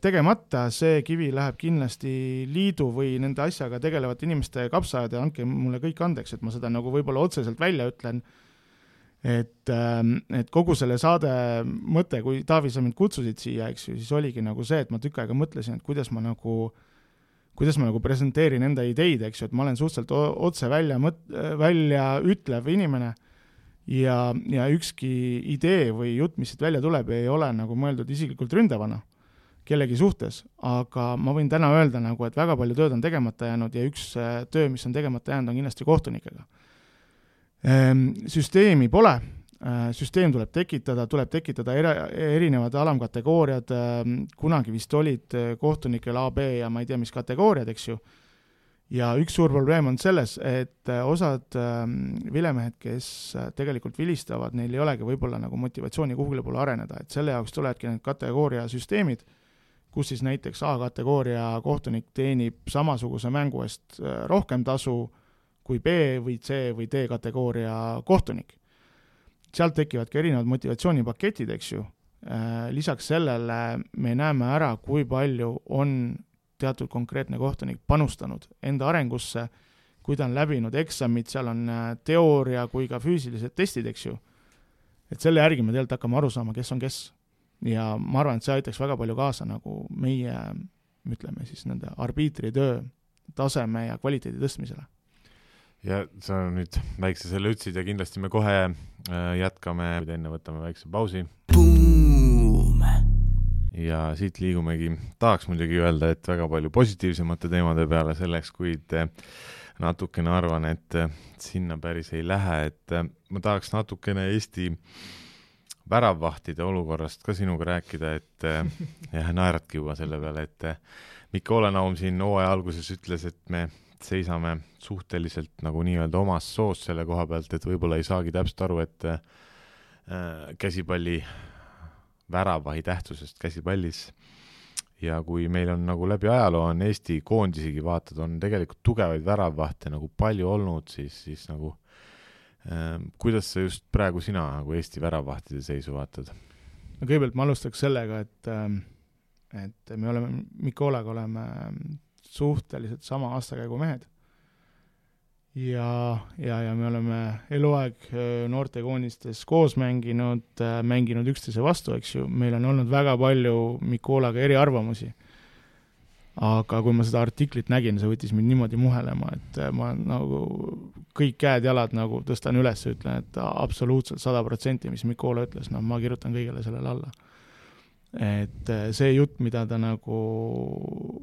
tegemata, see kivi läheb kindlasti liidu või nende asjaga tegelevate inimeste kapsajad ja andke mulle kõik andeks, et ma seda nagu võib-olla otseselt välja ütlen, et kogu selle saade mõte, kui Taavi, sa mind kutsusid siia, eks ju, siis oligi nagu see, et ma tükk aega mõtlesin, et kuidas ma nagu presenteerin enda ideid, eks ju, et ma olen suhteliselt otse välja ütlev inimene ja ükski idee või jutt, mis siit välja tuleb, ei ole nagu mõeldud isiklikult ründavana kellegi suhtes, aga ma võin täna öelda nagu, et väga palju tööd on tegemata jäänud ja üks töö, mis on tegemata jäänud, on kindlasti kohtunikega. Süsteemi pole, süsteem tuleb tekitada erinevad alamkategooriad, kunagi vist olid kohtunikel A, B ja ma ei tea, mis kategooriad, eks ju. Ja üks suur probleem on selles, et osad vilemehed, kes tegelikult vilistavad, neil ei olegi võib-olla nagu motivatsiooni kuhugile poole areneda, et selle jaoks tulevadki need kategooria süsteemid, kus siis näiteks A-kategooria kohtunik teenib samasuguse mängu eest rohkem tasu kui B või C või D kategooria kohtunik. Sealt tekivad ka erinevad motivatsioonipaketid, eks ju. Lisaks sellele me näeme ära, kui palju on teatud konkreetne kohtunik panustanud enda arengusse, kui ta on läbinud eksamid, seal on teooria kui ka füüsilised testid, eks ju. Et selle järgi me tegelikult hakkame aru saama, kes on kes. Ja ma arvan, et see aitaks väga palju kaasa nagu meie, ütleme siis nende arbiitritöö taseme ja kvaliteedi tõstmisele. Ja sa nüüd väikse selle ütsid ja kindlasti me kohe jätkame, enne võtame väikse pausi. Ja siit liigumegi, tahaks muidugi öelda, et väga palju positiivsemate teemade peale selleks, kuid natukene arvan, et sinna päris ei lähe, et ma tahaks natukene Eesti väravvahtide olukorrast ka sinuga rääkida, et naeratki juba selle peale, et Mikko Olenaum siin hooaja alguses ütles, et me seisame suhteliselt nagu nii-öelda omas soos selle koha pealt, et võib-olla ei saagi täpselt aru, et käsipalli väravahi tähtsusest käsipallis ja kui meil on nagu läbi ajaloo on Eesti koondisigi vaatad, on tegelikult tugevaid väravvahte nagu palju olnud, siis nagu kuidas sa just praegu sina nagu Eesti väravvahtide seisu vaatad? No kõigepealt ma alustaks sellega, et me oleme Mikolaga oleme suhteliselt sama aastakäigu mehed ja me oleme eluaeg noortekoonistes koos mänginud üksteise vastu, eks ju. Meil on olnud väga palju Mikolaga eriarvamusi. Aga kui ma seda artiklit nägin, see võttis mind niimoodi muhelema, et ma nagu kõik käed-jalad nagu tõstan üles ja ütlen, et absoluutselt 100%, mis Mikola ütles, ma kirjutan kõigele sellele alla. Et see jutt, mida ta nagu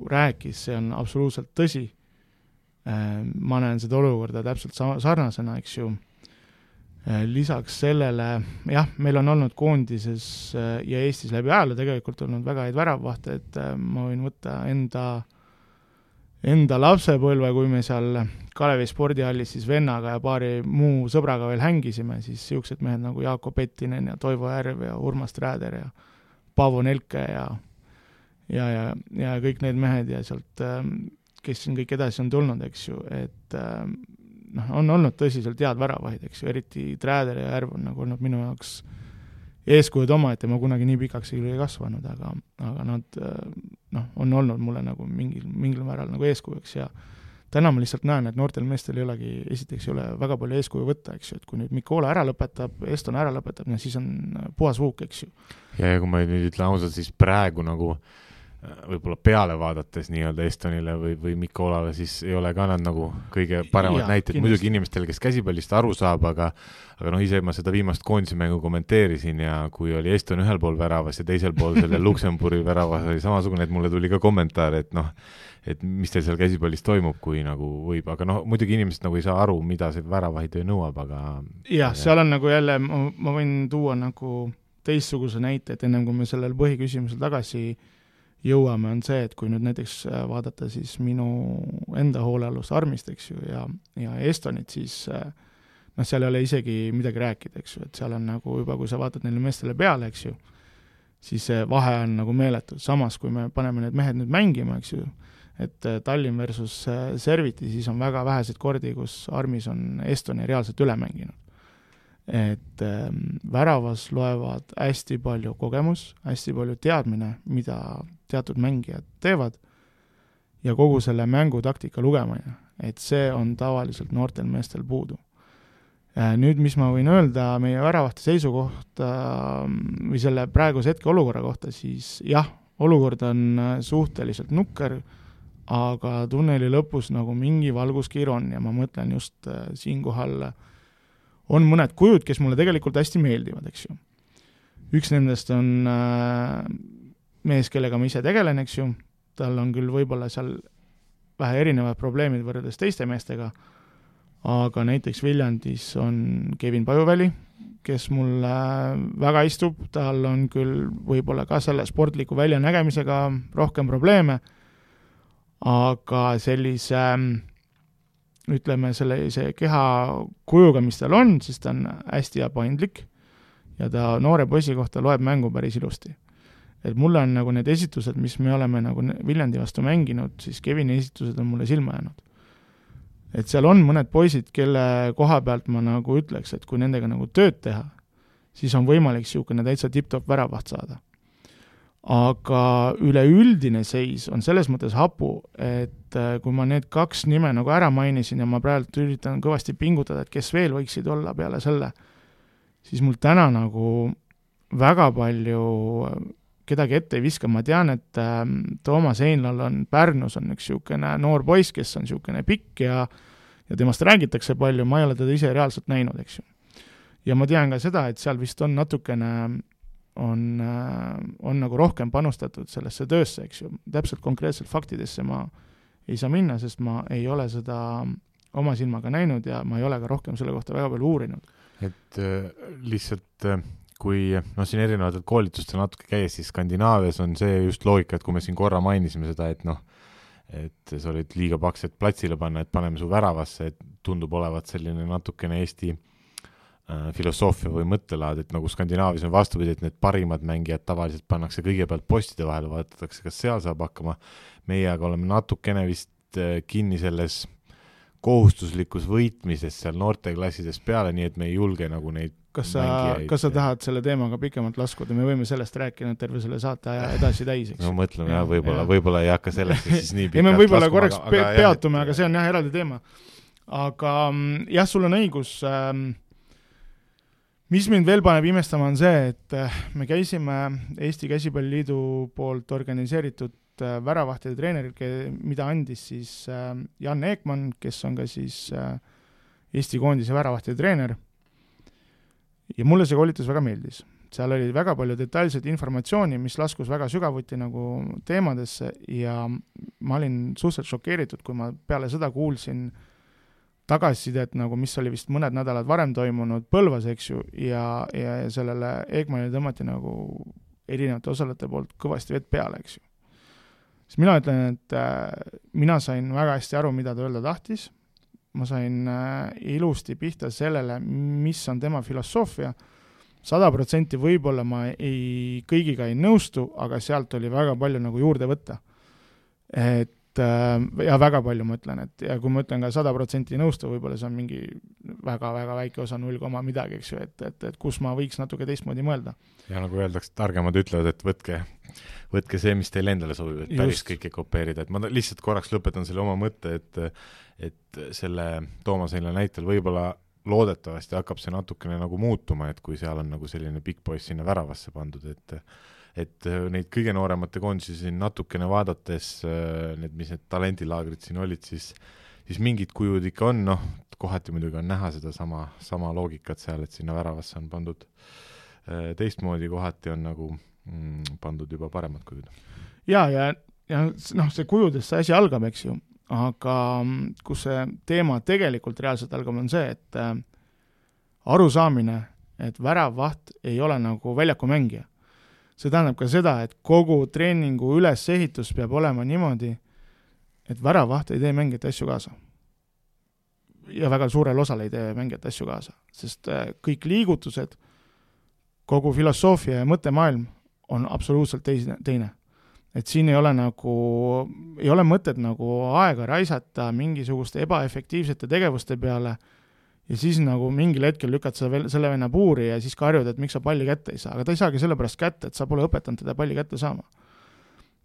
rääkis, see on absoluutselt tõsi. Ma näen seda olukorda täpselt sarnasena, eks ju. Lisaks sellele, jah, meil on olnud koondises ja Eestis läbi ajalu tegelikult olnud väga häid väravvahte, et ma võin võtta enda lapsepõlve, kui me seal Kalevi spordihallis siis vennaga ja paari muu sõbraga veel hängisime, siis siuksed mehed nagu Jaako Pettinen ja Toivo Järv ja Urmas Trääder ja Paavo Nelke ja kõik need mehed ja sealt kes siin kõik edasi on tulnud, eks ju, et on olnud tõsiselt head väravahid, eks ju, eriti Trääder ja Järv on nagu olnud minu jaoks eeskujud oma, et ma kunagi nii pikaks ei kasvanud, aga nad on olnud mulle nagu mingil määral nagu eeskujuks ja täna ma lihtsalt näen, et noortel meestel ei olegi, esiteks ei ole väga palju eeskuju võtta, eks ju, et kui nüüd Mikola ära lõpetab, Eston ära lõpetab, siis on puhas vuuk, eks ju. Ja kui ma nüüd ütlen ausalt, siis praegu nagu võib-olla peale vaadates nii-öelda Estonile või Mikko Olale, siis ei ole ka nad nagu kõige paremad näited. Muidugi inimestel, kes käsipallist aru saab, aga ise ma seda viimast koondise mängu kommenteerisin ja kui oli Eston ühel pool väravas ja teisel pool selle Luxemburgi väravas oli samasugune, et mulle tuli ka kommentaar, et mis teil seal käsipallis toimub, kui nagu võib, aga muidugi inimesed nagu ei saa aru, mida see väravahitöö nõuab, aga jah, seal on nagu jälle, ma võin tuua nagu teistsuguse näite, et ennem kui me sellel põhiküsimusel tagasi jõuame, on see, et kui nüüd näiteks vaadata siis minu enda hoolealust Armist, eks ju, ja Estonit, siis seal ei ole isegi midagi rääkida, eks ju, et seal on nagu juba, kui sa vaatad neile meestele peale, eks ju, siis see vahe on nagu meeletud. Samas, kui me paneme need mehed nüüd mängima, eks ju, et Tallinn versus Serviti, siis on väga väheseid kordi, kus Armis on Estoni reaalselt üle mänginud. Et väravas loevad hästi palju kogemus, hästi palju teadmine, mida teatud mängijad teevad ja kogu selle mängutaktika lugemine, et see on tavaliselt noortel meestel puudu. Nüüd, mis ma võin öelda meie väravahti seisukohta või selle praeguse hetke olukorra kohta, siis jah, olukord on suhteliselt nukker, aga tunneli lõpus nagu mingi valguskiir on ja ma mõtlen just siinkohal on mõned kujud, kes mulle tegelikult hästi meeldivad, eks ju. Üks nendest on mees, kellega ma ise tegelen, eks ju, tal on küll võib-olla seal vähe erinevad probleemid võrreldes teiste meestega, aga näiteks Viljandis on Kevin Pajuväli, kes mulle väga istub, tal on küll võib-olla ka selle sportliku väljanägemisega rohkem probleeme, aga sellise ütleme, sellise keha kujuga, mis tal on, siis ta on hästi paindlik ja ta noore poisi kohta loeb mängu päris ilusti. Et mulle on nagu need esitused, mis me oleme nagu Viljandi vastu mänginud, siis Kevini esitused on mulle silma jäänud. Et seal on mõned poisid, kelle koha pealt ma nagu ütleks, et kui nendega nagu tööd teha, siis on võimalik siukene täitsa tip-top väravaht saada. Aga üleüldine seis on selles mõttes hapu, et kui ma need kaks nime nagu ära mainisin ja ma praegu üritan kõvasti pingutada, et kes veel võiksid olla peale selle, siis mul täna nagu väga palju kedagi ette ei viska. Ma tean, et Toomas Heinlal on Pärnus on üks siukene noor poiss, kes on siukene pikk ja temast räägitakse palju, ma ei ole teda ise reaalselt näinud, eks ju. Ja ma tean ka seda, et seal vist on natukene on nagu rohkem panustatud sellesse töösse, eks ju. Täpselt konkreetselt faktidesse ma ei saa minna, sest ma ei ole seda oma silmaga näinud ja ma ei ole ka rohkem selle kohta väga palju uurinud. Et lihtsalt kui siin erinevatel koolitustel natuke käies, siis Skandinaavias on see just loogika, et kui me siin korra mainisime seda, et sa olid liiga paks, et platsile panna, et paneme su väravasse, et tundub olevat selline natukene Eesti filosoofia või mõttelaad, et nagu Skandinaavias on vastupidi, et need parimad mängijad tavaliselt pannakse kõigepealt postide vahele, vaadatakse, kas seal saab hakkama. Meie aga oleme natukene vist kinni selles kohustuslikus võitmises seal noorteklassides peale, nii et me ei julge nagu neid Kas sa tahad selle teemaga pikemalt laskuda? Me võime sellest rääkida terve selle saate aja edasi täis, eks? No mõtleme jah, võib-olla ei hakka sellest siis nii pikalt me võib-olla korraks peatume, aga see on jah eraldi teema. Aga jah, sul on õigus. Mis mind veel paneb imestama on see, et me käisime Eesti Käsipalliliidu poolt organiseeritud väravahtide treeneril, mida andis siis Jan Eekman, kes on ka siis Eesti koondise väravahtide treener. Ja mulle see koolitus väga meeldis. Seal oli väga palju detailset informatsiooni, mis laskus väga sügavuti nagu teemadesse ja ma olin suhteliselt šokeeritud, kui ma peale seda kuulsin tagasisidet, nagu mis oli vist mõned nädalad varem toimunud Põlvas, eks ju, ja sellele Eekmanile tõmmati nagu erinevate osalejate poolt kõvasti vett peale, eks ju. Siis mina ütlen, et mina sain väga hästi aru, mida ta öelda tahtis. Ma sain ilusti pihta sellele, mis on tema filosoofia. 100% võib-olla ma kõigiga ei nõustu, aga sealt oli väga palju nagu juurde võtta. Ja väga palju ma ütlen, et ja kui ma ütlen ka 100% nõustu, võib-olla see on mingi väga-väga väike osa 0, midagi, eks ju, et kus ma võiks natuke teistmoodi mõelda. Ja nagu öeldakse, targemad ütlevad, et võtke see, mis teile endale sobib, et päris kõike kopeerida. Et ma lihtsalt korraks lõpetan selle oma mõtte, et selle Toomas Heinla näitel võib-olla loodetavasti hakkab see natukene nagu muutuma, et kui seal on nagu selline big boys sinna väravasse pandud, et neid kõige nooremate koondisi siin natukene vaadates, mis need talendilaagrid siin olid, siis mingid kujud ikka on, kohati muidugi on näha seda sama loogikat seal, et sinna väravasse on pandud teistmoodi, kohati on nagu pandud juba paremad kujud. Ja see kujudest see asi algab, eks ju, aga kus see teema tegelikult reaalselt algab, on see, et arusaamine, et väravvaht ei ole nagu väljakumängija. See tähendab ka seda, et kogu treeningu ülesehitus peab olema niimoodi, et väravvaht ei tee mängijate asju kaasa. Ja väga suurel osal ei tee mängijate asju kaasa, sest kõik liigutused, kogu filosoofia ja mõttemaailm on absoluutselt teine. Et siin ei ole mõtet nagu aega raisata mingisuguste ebaefektiivsete tegevuste peale ja siis nagu mingil hetkel lükad selle venna puuri ja siis karjud, et miks sa palli kätte ei saa. Aga ta ei saagi sellepärast kätte, et sa pole õpetanud teda palli kätte saama.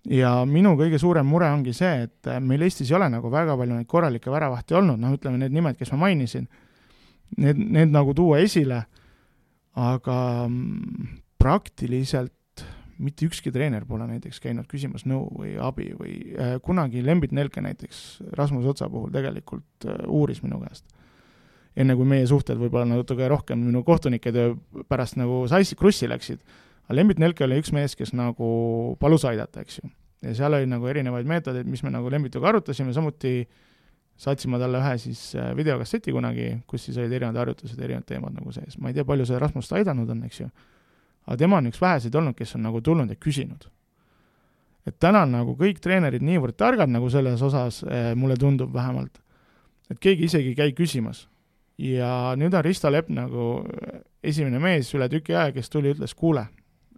Ja minu kõige suurem mure ongi see, et meil Eestis ei ole nagu väga palju neid korralikke väravahti olnud, ütleme need nimed, kes ma mainisin, need nagu tuua esile, aga praktiliselt mitte ükski treener pole näiteks käinud küsimas nõu või abi või kunagi Lembit Nelke näiteks Rasmus Otsa puhul tegelikult uuris minu käest. Enne kui meie suhted võib-olla natuke rohkem minu kohtunike töö pärast nagu krussi läksid. Aga Lembit Nelke oli üks mees, kes nagu palus aidata, eks ju. Ja seal oli nagu erinevaid meetodeid, mis me nagu Lembituga arutasime, samuti saatsime talle ühe siis videokasseti kunagi, kus siis olid erinevad harjutused, erinevad teemad nagu sees. Ma ei tea, palju see Rasmust aidanud on, eks ju. Aga tema on üks väheseid olnud, kes on nagu tulnud ja küsinud. Et täna on nagu kõik treenerid niivõrd targad nagu selles osas, mulle tundub vähemalt, et keegi isegi käi küsimas. Ja nüüd on Risto Lepp nagu esimene mees üle tüki aja, kes tuli ütles, kuule,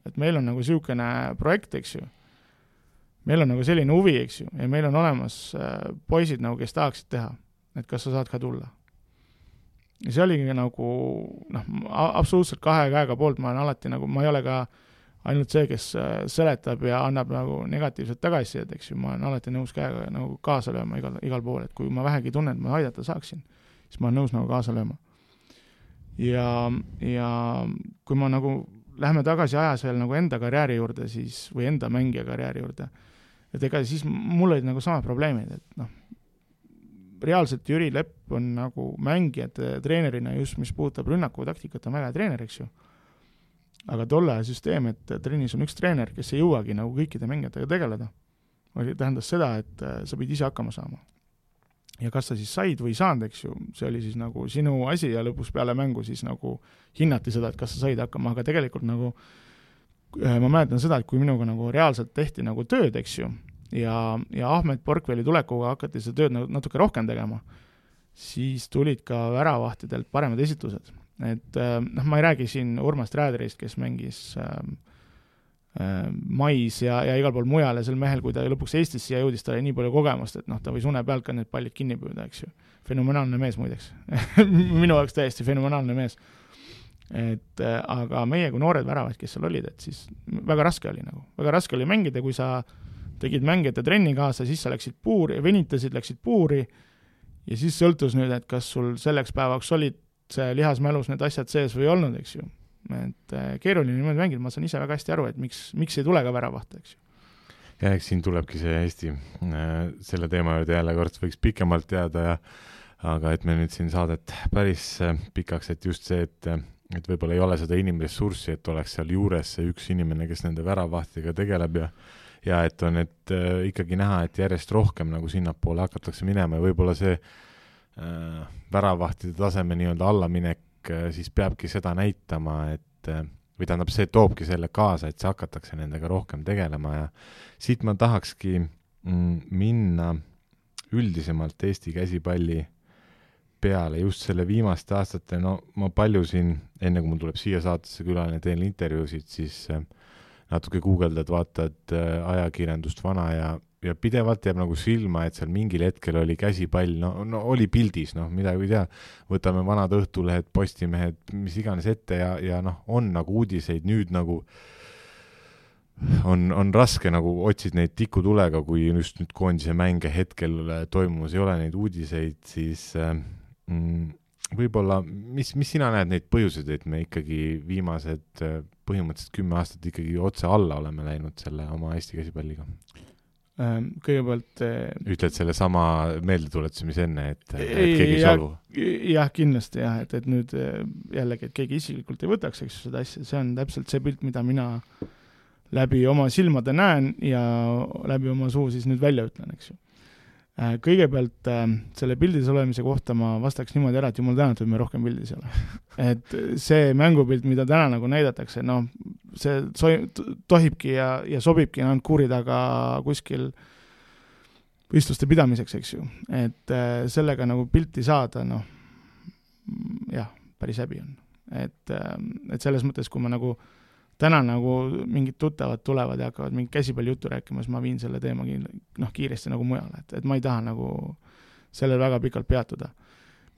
et meil on nagu siukene projekt, eks ju. Meil on nagu selline huvi, eks ju, ja meil on olemas poisid nagu, kes tahaksid teha, et kas sa saad ka tulla. Ja see oligi nagu, absoluutselt kahe käega poolt, ma olen alati nagu, ma ei ole ka ainult see, kes seletab ja annab nagu negatiivset tagasisidet, eks ju, ma olen alati nõus käega nagu kaasa lööma igal pool, et kui ma vähegi tunnen, et ma aidata saaksin, siis ma olen nõus nagu kaasa lööma. Ja kui ma nagu lähme tagasi ajas veel nagu enda karjääri juurde siis, või enda mängija karjääri juurde, et ega siis mul olid nagu samad probleemid, et reaalselt Jüri Lepp on nagu mängijate treenerina just, mis puudutab rünnaku taktikat, on väga treener, eks ju. Aga tolle süsteem, et trennis on üks treener, kes ei jõuagi nagu kõikide mängijatega tegeleda, tähendas seda, et sa pidi ise hakkama saama. Ja kas sa siis said või saanud, eks ju, see oli siis nagu sinu asi ja lõpus peale mängu siis nagu hinnati seda, et kas sa said hakkama, aga tegelikult nagu ma mäletan seda, et kui minuga nagu reaalselt tehti nagu tööd, eks ju, ja Ahmed Porkveli tulekuga hakati seda tööd natuke rohkem tegema, siis tulid ka väravahtidelt paremad esitlused. Et ma ei räägi siin Urmas Trääderist, kes mängis mais ja igal pool mujal ja sel mehel, kui ta lõpuks Eestisse ja jõudis, ta oli nii palju kogemust, et ta võis une pealt ka need pallid kinni püüda, eks ju. Fenomenaalne mees muideks. Minu jaoks täiesti fenomenaalne mees. Et aga meie kui noored väravad, kes seal olid, et siis väga raske oli mängida, kui sa tegid mängijate trenni kaasa, siis sa läksid puuri, venitasid, läksid puuri ja siis sõltus nüüd, et kas sul selleks päevaks olid see lihasmälus need asjad sees või olnud, eks ju. Et keeruline niimoodi mängida, ma saan ise väga hästi aru, et miks ei tule ka väravahte, eks ju. Ja eks siin tulebki see Eesti selle teema juurde jälle kord võiks pikemalt teada, aga et me nüüd siin saadet päris pikaks, et just see, et võib-olla ei ole seda inimressurssi, et oleks seal juures see üks inimene, kes nende väravahtiga tegeleb ja et on ikkagi näha, et järjest rohkem nagu sinnapoole hakatakse minema ja võib-olla see väravahtide taseme nii-öelda allaminek siis peabki seda näitama, et või tähendab, see toobki selle kaasa, et see hakatakse nendega rohkem tegelema ja siit ma tahakski minna üldisemalt Eesti käsipalli peale just selle viimaste aastate, ma palju siin, enne kui mul tuleb siia saatesse külaline, teen intervjuusid, siis natuke guugeldad, vaatad ajakirjandust vana ja pidevalt jääb nagu silma, et seal mingil hetkel oli käsipall, no oli pildis, midagi ei tea, võtame vanad Õhtulehed, Postimehed, mis iganes ette ja on nagu uudiseid, nüüd nagu on raske nagu otsid neid tikutulega, kui just nüüd koondise mänge hetkel toimumas ei ole neid uudiseid, siis võib-olla, mis sina näed neid põhjuseid, et me ikkagi viimased põhimõtteliselt 10 aastat ikkagi otse alla oleme läinud selle oma Eesti käsipalliga. Kõigepealt ütled selle sama meeldetuletuse, mis enne, et keegi ei solvu. Jah, kindlasti jah, et nüüd jällegi, et keegi isiklikult ei võtaks, eks seda asja, see on täpselt see pilt, mida mina läbi oma silmade näen ja läbi oma suu siis nüüd välja ütlen, eks ju. Kõigepealt selle pildis olemise kohta ma vastaks niimoodi ära, et jumal tänatud, me rohkem pildis ei ole. Et see mängupilt, mida täna nagu näidatakse, see tohibki ja sobibki ainult kuuri taga kuskil võistluste pidamiseks, eks ju. Et sellega nagu pilti saada, jah, päris häbi on. Et selles mõttes, kui ma nagu täna nagu mingid tuttavad tulevad ja hakkavad mingit käsipalli juttu rääkima, siis ma viin selle teema kiiresti nagu mujale, et ma ei taha nagu sellel väga pikalt peatuda.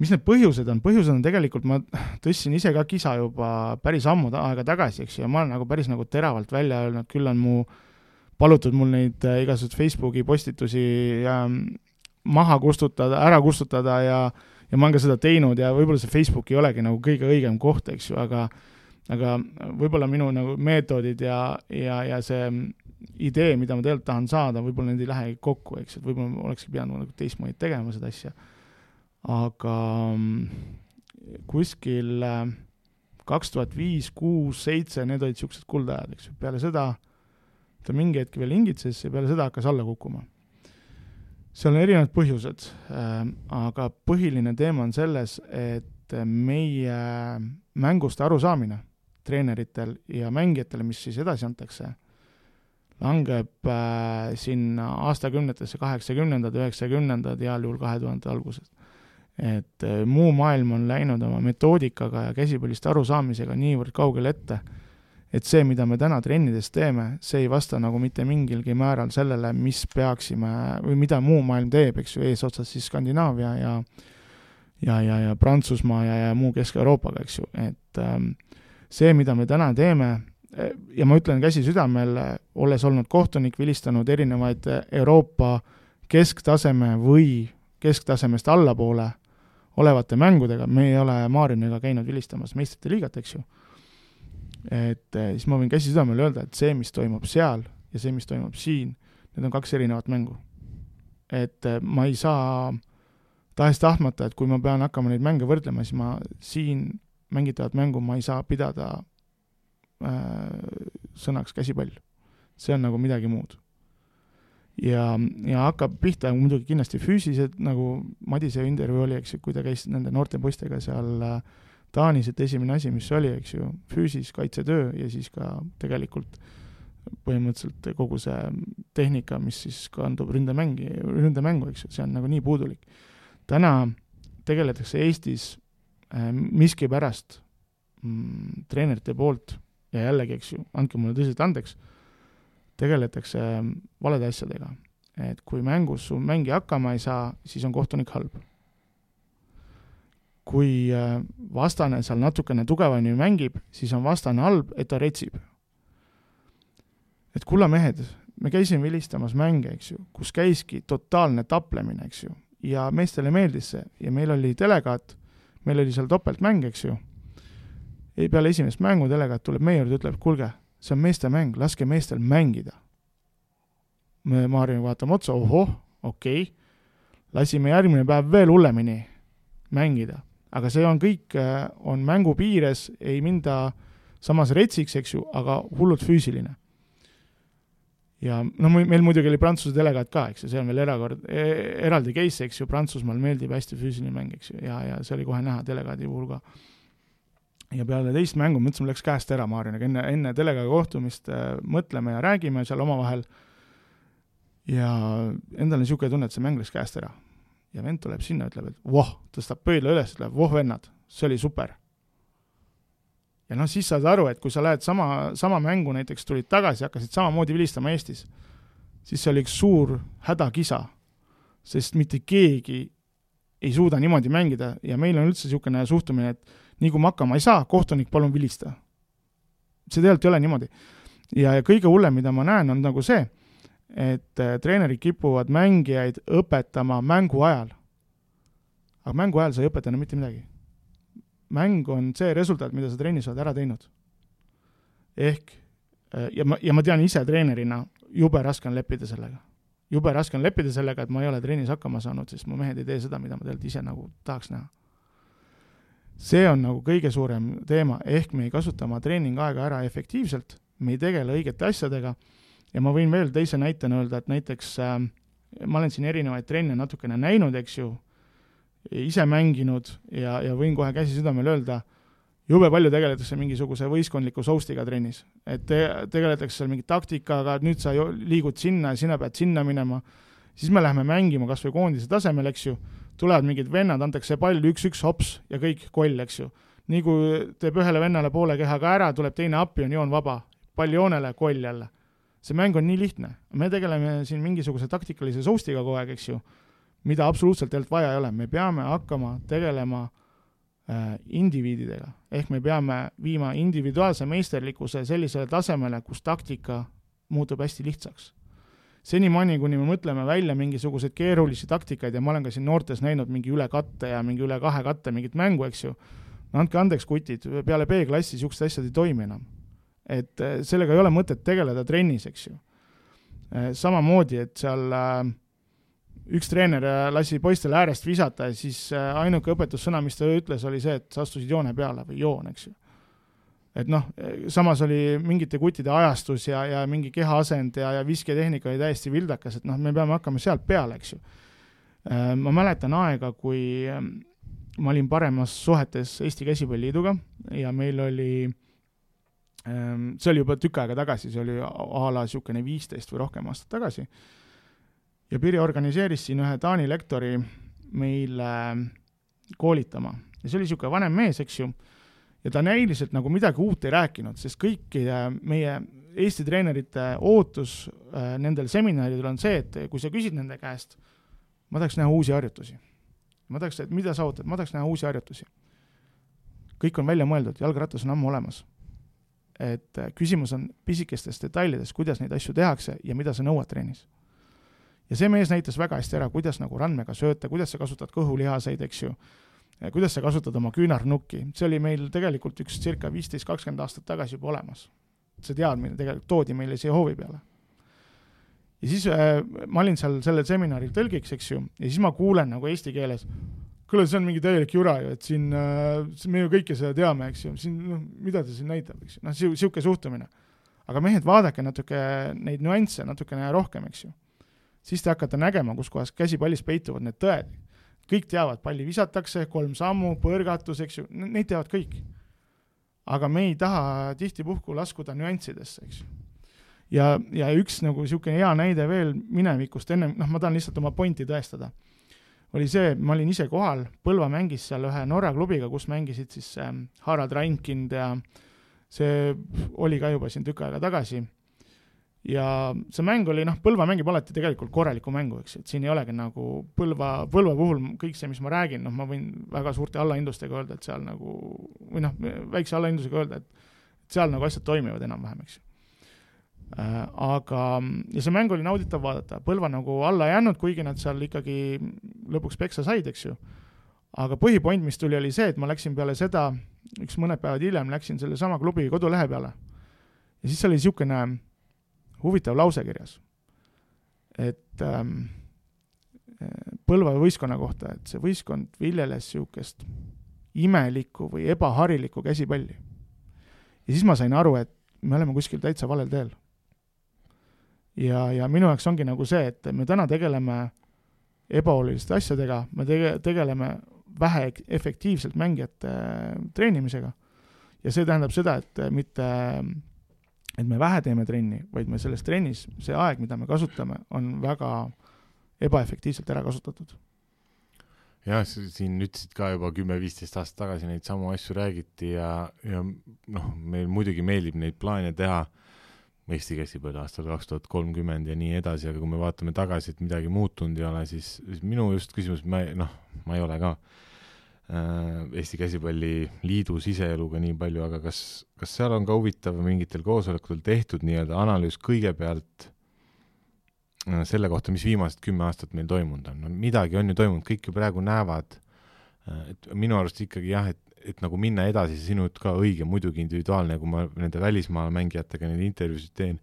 Mis need põhjused on? Põhjused on tegelikult, ma tõstsin ise ka kisa juba päris ammu aega tagasi, eks ju, ja ma olen nagu päris nagu teravalt välja öelnud, küll on palutud mul neid igasugused Facebooki postitusi maha kustutada, ära kustutada ja ma olen ka seda teinud ja võib-olla see Facebook ei olegi nagu kõige õigem koht, eks ju, aga võib-olla minu nagu meetodid ja see idee, mida ma tegelikult tahan saada, võib-olla need ei lähe kokku, eks, et võib-olla ma olekski pidanud nagu teistmoodi tegema seda asja. Aga kuskil 2005, 6, 7, need olid siuksed kuldajad, eks. Peale seda ta mingi hetk veel hingitses ja peale seda hakkas alla kukkuma. Seal on erinevad põhjused, aga põhiline teema on selles, et meie mängust arusaamine treeneritel ja mängijatele, mis siis edasi antakse, langeb sinna aastakümnetesse 80-ndad, 90-ndad ja juhul 2000 algusest. Et muu maailm on läinud oma metoodikaga ja käsipallist arusaamisega niivõrd kaugel ette, et see, mida me täna trennides teeme, see ei vasta nagu mitte mingilgi määral sellele, mis peaksime või mida muu maailm teeb, eks ju, eesotsas siis Skandinaavia ja Prantsusmaa ja muu Kesk-Euroopaga, eks ju, et see, mida me täna teeme, ja ma ütlen käsi südamel, olles olnud kohtunik, vilistanud erinevaid Euroopa kesktaseme või kesktasemest allapoole olevate mängudega, me ei ole Maarjaniga käinud vilistamas meistrite liigat, eks ju. Et siis ma võin käsi südamel öelda, et see, mis toimub seal ja see, mis toimub siin, need on 2 erinevat mängu. Et ma ei saa tahes-tahtmata, et kui ma pean hakkama neid mänge võrdlema, siis ma siin mängitavat mängu ma ei saa pidada sõnaks käsipall. See on nagu midagi muud. Ja hakkab pihta muidugi kindlasti füüsilised, nagu Madise intervjuu oli, eks ju, kui ta käis nende noorte poistega seal Taanis, et esimene asi, mis oli, eks ju, füüsis, kaitsetöö ja siis ka tegelikult põhimõtteliselt kogu see tehnika, mis siis kandub ründemängu, eks ju, see on nagu nii puudulik. Täna tegeletakse Eestis miski pärast treenerite poolt ja jällegi, eks ju, andke mulle tõsiselt andeks, tegeletakse valede asjadega. Et kui mängus su mängi hakkama ei saa, siis on kohtunik halb. Kui vastane seal natukene tugevani mängib, siis on vastane halb, et ta retsib. Et kulla mehed, me käisime vilistamas mänge, eks ju, kus käiski totaalne taplemine, eks ju, ja meestele meeldis see ja meil oli delegaat, meil oli seal topeltmäng, eks ju. Peale esimest mängu delegaat tuleb meie juurde, ütleb, kulge, see on meeste mäng, laske meestel mängida. Me Maarjani vaatame otsa, okei. Lasime järgmine päev veel hullemini mängida. Aga see on kõik, on mängu piires, ei minda samas retsiks, eks ju, aga hullult füüsiline. Ja meil muidugi oli Prantsuse delegaat ka, eks ju, see on veel eraldi case, eks ju, Prantsusmaal meeldib hästi füüsiline mäng, eks ju, ja see oli kohe näha delegaadi puhul ka. Ja peale teist mängu, mõtlesin, mul läks käest ära Maarjaniga, enne delegaadi kohtumist mõtleme ja räägime seal omavahel ja endal on niisugune tunne, et see mäng läks käest ära. Ja vend tuleb sinna, ütleb, et tõstab pöidla üles, ütleb, vennad, see oli super. Ja siis saad aru, et kui sa lähed sama mängu näiteks tulid tagasi, hakkasid samamoodi vilistama Eestis, siis see oli üks suur hädakisa, sest mitte keegi ei suuda niimoodi mängida ja meil on üldse niisugune suhtumine, et nii kui ma hakkama ei saa, kohtunik palun vilista. See tegelikult ei ole niimoodi. Ja kõige hullem, mida ma näen, on nagu see, et treenerid kipuvad mängijaid õpetama mängu ajal. Aga mängu ajal sa ei õpeta mitte midagi. Mäng on see resultaat, mida sa trennis oled ära teinud. ehk ja ma tean ise treenerina, jube raske on leppida sellega. Jube raske on leppida sellega, et ma ei ole trennis hakkama saanud, sest mu mehed ei tee seda, mida ma tegelikult ise nagu tahaks näha. See on nagu kõige suurem teema, ehk me ei kasuta oma treeningaega ära efektiivselt, me ei tegele õigete asjadega ja ma võin veel teise näitena öelda, et näiteks ma olen siin erinevaid trenne natukene näinud, eks ju, ise mänginud ja võin kohe käsi südamel öelda, jube palju tegeletakse mingisuguse võistkondliku soustiga trennis, et tegeletakse seal mingi taktikaga, et nüüd sa liigud sinna ja sina pead sinna minema, siis me läheme mängima kas või koondise tasemel, eks ju, tulevad mingid vennad, antakse pall 1-1 hops ja kõik koll, eks ju. Nii kui teeb ühele vennale poole kehaga ära, tuleb teine appi, on joon vaba, pall joonele, koll jälle. See mäng on nii lihtne. Me tegeleme siin mingisuguse taktikalise soustiga kogu aeg, eks ju, mida absoluutselt tegelikult vaja ei ole. Me peame hakkama tegelema indiviididega. Ehk me peame viima individuaalse meisterlikkuse sellisele tasemele, kus taktika muutub hästi lihtsaks. Senimaani, kuni me mõtleme välja mingisugused keerulisi taktikaid ja ma olen ka siin noortes näinud mingi üle katte ja mingi üle 2 katte mingit mängu, eks ju, no andke andeks kutid, peale B-klassi siuksed asjad ei toimi enam. Et sellega ei ole mõtet tegeleda trennis, eks ju. Samamoodi, et seal üks treener lasi poistele äärest visata ja siis ainuke õpetussõna, mis ta ütles, oli see, et sa astusid joone peale või joon, eks ju. Et noh, samas oli mingite kuttide ajastus ja mingi kehaasend ja visketehnika oli täiesti vildakas, et noh, me peame hakkama sealt peale, eks ju. Ma mäletan aega, kui ma olin paremas suhetes Eesti Käsipalliliiduga ja meil oli, see oli juba tükk aega tagasi, see oli a la siukene 15 või rohkem aastat tagasi. Ja Piri organiseeris siin ühe Taani lektori meile koolitama. Ja see oli siuke vanem mees, eks ju. Ja ta näiliselt nagu midagi uut ei rääkinud, sest kõiki meie Eesti treenerite ootus nendel seminaridel on see, et kui sa küsid nende käest, ma tahaks näha uusi harjutusi. Ma tahaks, et mida sa ootad? Ma tahaks näha uusi harjutusi. Kõik on välja mõeldud, jalgratas on ammu olemas. Et küsimus on pisikestes detailides, kuidas neid asju tehakse ja mida sa nõuad treenis. Ja see mees näitas väga hästi ära, kuidas nagu randmega sööta, kuidas sa kasutad kõhulihaseid, eks ju, kuidas sa kasutad oma küünarnukki. See oli meil tegelikult üks circa 15-20 aastat tagasi juba olemas. See teadmine tegelikult toodi meile siia hoovi peale. Ja siis ma olin seal sellel seminaril tõlgiks, eks ju, ja siis ma kuulen nagu eesti keeles, kuule, see on mingi täielik jura ju, et siin me ju kõike seda teame, eks ju, siin, mida ta siin näitab, eks ju, noh, siuke suhtumine. Aga mehed, vaadake natuke neid nüansse, natuke rohkem, eks ju. Siis te hakkate nägema, kus kohas käsipallis peituvad need tõed. Kõik teavad, palli visatakse, 3 sammu, põrgatus, eks ju, neid teavad kõik. Aga me ei taha tihtipuhku laskuda nüanssidesse, eks ju. Ja üks nagu siukene hea näide veel minevikust enne, noh, ma tahan lihtsalt oma pointi tõestada. Oli see, ma olin ise kohal, Põlva mängis seal ühe Norra klubiga, kus mängisid siis Harald Reinkind ja see oli ka juba siin tükk aega tagasi. Ja see mäng oli, noh, Põlva mängib alati tegelikult korraliku mängu, eks, et siin ei olegi nagu Põlva puhul kõik see, mis ma räägin, noh, ma võin väga suurte allahindlustega öelda, et seal nagu, või noh, väikse allahindlusega öelda, et seal nagu asjad toimivad enam-vähem, eks. Aga, ja see mäng oli nauditav vaadata, Põlva nagu alla jäänud, kuigi nad seal ikkagi lõpuks peksa said, eks ju. Aga põhipoint, mis tuli, oli see, et ma läksin peale seda, üks mõned päevad hiljem läksin selle sama klubi kodulehe peale. Ja siis oli siukene huvitav lause kirjas, et Põlva võistkonna kohta, et see võistkond viljeles siukest imelikku või ebaharilikku käsipalli. Ja siis ma sain aru, et me oleme kuskil täitsa valel teel. Ja minu jaoks ongi nagu see, et me täna tegeleme ebaoluliste asjadega, me tegeleme vähe efektiivselt mängijate treenimisega. Ja see tähendab seda, et me vähe teeme trenni, vaid me selles trennis, see aeg, mida me kasutame, on väga ebaefektiivselt ära kasutatud. Jah, siin ütlesid ka juba 10-15 aastat tagasi neid samu asju räägiti ja noh, meil muidugi meeldib neid plaane teha Eesti käsipalli aastal 2030 ja nii edasi, aga kui me vaatame tagasi, et midagi muutunud ei ole, siis minu just küsimus, ma ei ole ka Eesti käsipalliliidu siseeluga nii palju, aga kas seal on ka huvitav mingitel koosolekutel tehtud nii-öelda analüüs kõigepealt selle kohta, mis viimased 10 aastat meil toimunud on. No, midagi on ju toimunud, kõik ju praegu näevad, et minu arust ikkagi jah, et nagu minna edasi, see sinu ka õige, muidugi individuaalne, kui ma nende välismaal mängijatega neid intervjuusid teen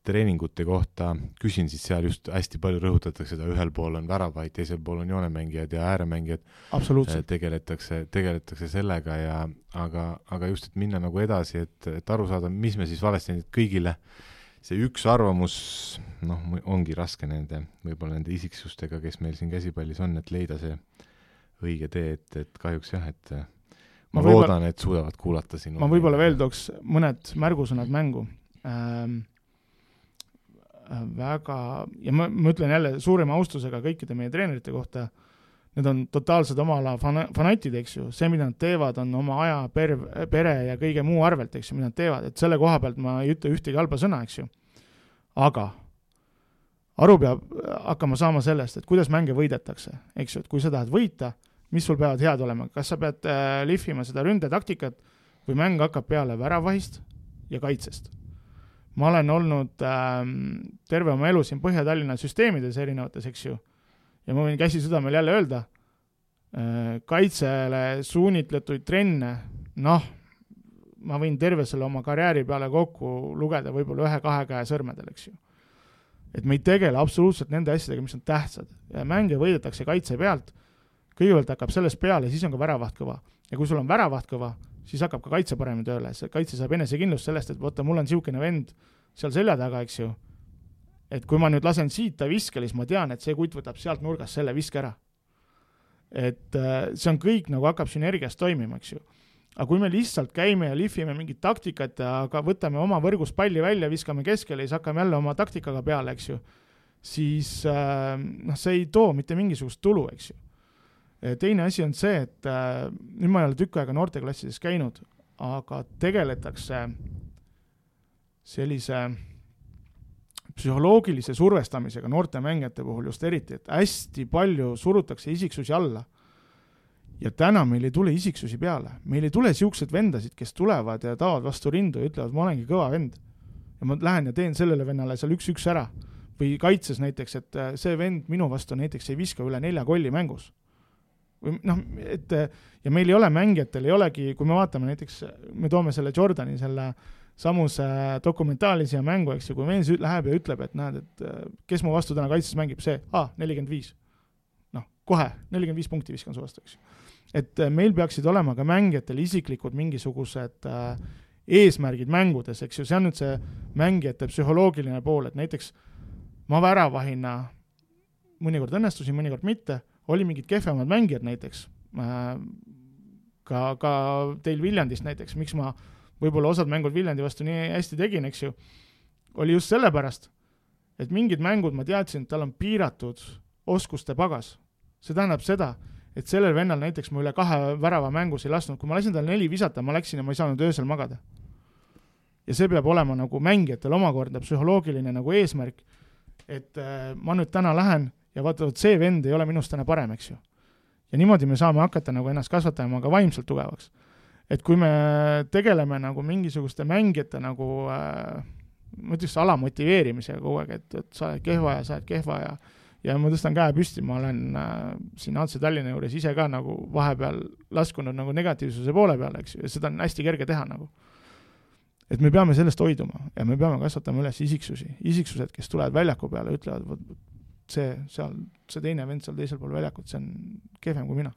treeningute kohta, küsin, siis seal just hästi palju rõhutatakse seda, ühel pool on väravaid, teisel pool on joonemängijad ja ääremängijad. Absoluutselt. Tegeletakse sellega ja aga just, et minna nagu edasi, et aru saada, mis me siis valesti kõigile. See üks arvamus, ongi raske võib-olla nende isiksustega, kes meil siin käsipallis on, et leida see õige tee, et kahjuks jah, et ma loodan, et suudavad kuulata sinu. Ma võib-olla veel tooks mõned märgusõnad mängu. Väga, ja ma ütlen jälle suurima austusega kõikide meie treenerite kohta, need on totaalsed oma ala fanatid, eks ju, see, mida nad teevad, on oma aja, pere ja kõige muu arvelt, eks ju, mida nad teevad, et selle koha pealt ma ei ütle ühtegi halba sõna, eks ju, aga aru peab hakkama saama sellest, et kuidas mänge võidetakse, eks ju, et kui sa tahad võita, mis sul peavad head olema, kas sa pead lihvima seda ründetaktikat või mäng hakkab peale väravahist ja kaitsest. Ma olen olnud terve oma elu siin Põhja-Tallinna süsteemides erinevates, eks ju, ja ma võin käsi südamel jälle öelda, kaitsele suunitletuid trenne, ma võin terve selle oma karjääri peale kokku lugeda võib-olla 1-2 käe sõrmedel, eks ju. Et me ei tegele absoluutselt nende asjadega, mis on tähtsad. Ja mänge võidetakse kaitse pealt, kõigepealt hakkab sellest peale, siis on ka väravaht kõva. Ja kui sul on väravaht kõva, siis hakkab ka kaitse paremini tööle. See kaitse saab enesekindlust sellest, et võtta, mul on siukene vend seal selja taga, eks ju. Et kui ma nüüd lasen siit ta viskele, siis ma tean, et see kutt võtab sealt nurgast selle viske ära. Et see on kõik nagu hakkab sünergiast toimima, eks ju. Aga kui me lihtsalt käime ja lihvime mingit taktikat ja aga võtame oma võrgus palli välja, viskame keskele ja siis hakkame jälle oma taktikaga peale, eks ju, siis see ei too mitte mingisugust tulu, eks ju. Teine asi on see, et nüüd ma ei ole tükk aega noorteklassides käinud, aga tegeletakse sellise psühholoogilise survestamisega noorte mängijate puhul just eriti, et hästi palju surutakse isiksusi alla. Ja täna meil ei tule isiksusi peale. Meil ei tule siuksed vendasid, kes tulevad ja taavad vastu rindu ja ütlevad, ma olengi kõva vend. Ja ma lähen ja teen sellele vennale seal 1-1 ära. Või kaitses näiteks, et see vend minu vastu näiteks ei viska üle 4 kolli mängus. Ja meil ei ole mängijatel, ei olegi, kui me vaatame näiteks, me toome selle Jordani, selle samuse dokumentaalise mängu, eks ju, kui mees läheb ja ütleb, et näed, et kes mu vastu täna kaitses mängib, see, 45. Kohe, 45 punkti viskan su vastu, eks ju. Et meil peaksid olema ka mängijatel isiklikud mingisugused eesmärgid mängudes, eks ju, see on nüüd see mängijate psühholoogiline pool, et näiteks ma väravahina mõnikord õnnestusin, mõnikord mitte, oli mingid kehvemad mängijad näiteks, ka teil Viljandist näiteks, miks ma võib-olla osad mängud Viljandi vastu nii hästi tegin, eks ju, oli just sellepärast, et mingid mängud ma teadsin, et tal on piiratud oskuste pagas. See tähendab seda, et sellel vennal näiteks ma üle 2 värava mängus ei lasknud, kui ma lasin tal 4 visata, ma läksin ja ma ei saanud öösel magada. Ja see peab olema nagu mängijatel omakorda psühholoogiline nagu eesmärk, et ma nüüd täna lähen ja vaatavad, see vend ei ole minust täna parem, eks ju. Ja niimoodi me saame hakata nagu ennast kasvatama ka vaimselt tugevaks. Et kui me tegeleme nagu mingisuguste mängijate nagu, ma ütleks alamotiveerimisega kogu aeg, et sa oled kehva ja ma tõstan käe püsti, ma olen siin AC Tallinna juures ise ka nagu vahepeal laskunud nagu negatiivsuse poole peale, eks ju, ja seda on hästi kerge teha nagu. Et me peame sellest hoiduma ja me peame kasvatama üles isiksused, kes tulevad väljaku peale, ütlevad, see teine vend seal teisel pool väljakut, see on kehvem kui mina.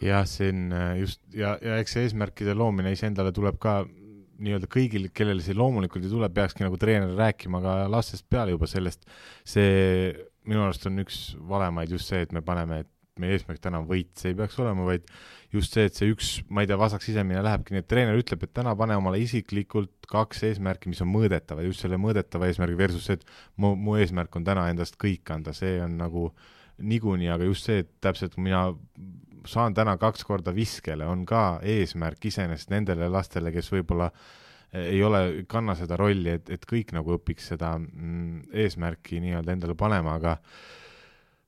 Ja see on just, ja eks see eesmärkide loomine iseendale tuleb ka nii-öelda kõigil, kellel see loomulikult tuleb, peakski nagu treener rääkima ka lastest peale juba sellest. See minu arust on üks valemaid just see, et me paneme, et meie eesmärk täna on võit, see ei peaks olema, vaid just see, et see üks, ma ei tea, vasak sisemine lähebki, nii et treener ütleb, et täna pane omale isiklikult 2 eesmärki, mis on mõõdetavad, just selle mõõdetava eesmärgi versus see, et mu eesmärk on täna endast kõik anda, see on nagu niikuinii, aga just see, et täpselt mina saan täna 2 korda viskele, on ka eesmärk iseenesest nendele lastele, kes võib-olla ei ole, kanna seda rolli, et kõik nagu õpiks seda eesmärki nii-öelda endale panema, aga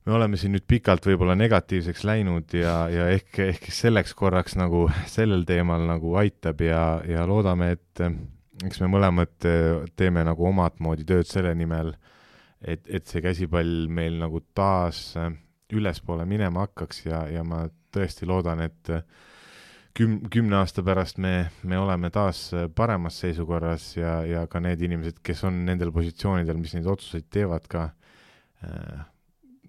me oleme siin nüüd pikalt võib-olla negatiivseks läinud ja ehk selleks korraks nagu sellel teemal nagu aitab ja loodame, et eks me mõlemad teeme nagu omat moodi tööd selle nimel, et see käsipall meil nagu taas ülespoole minema hakkaks ja ma tõesti loodan, et 10 aasta pärast me oleme taas paremas seisukorras ja ka need inimesed, kes on nendel positsioonidel, mis neid otsuseid teevad ka,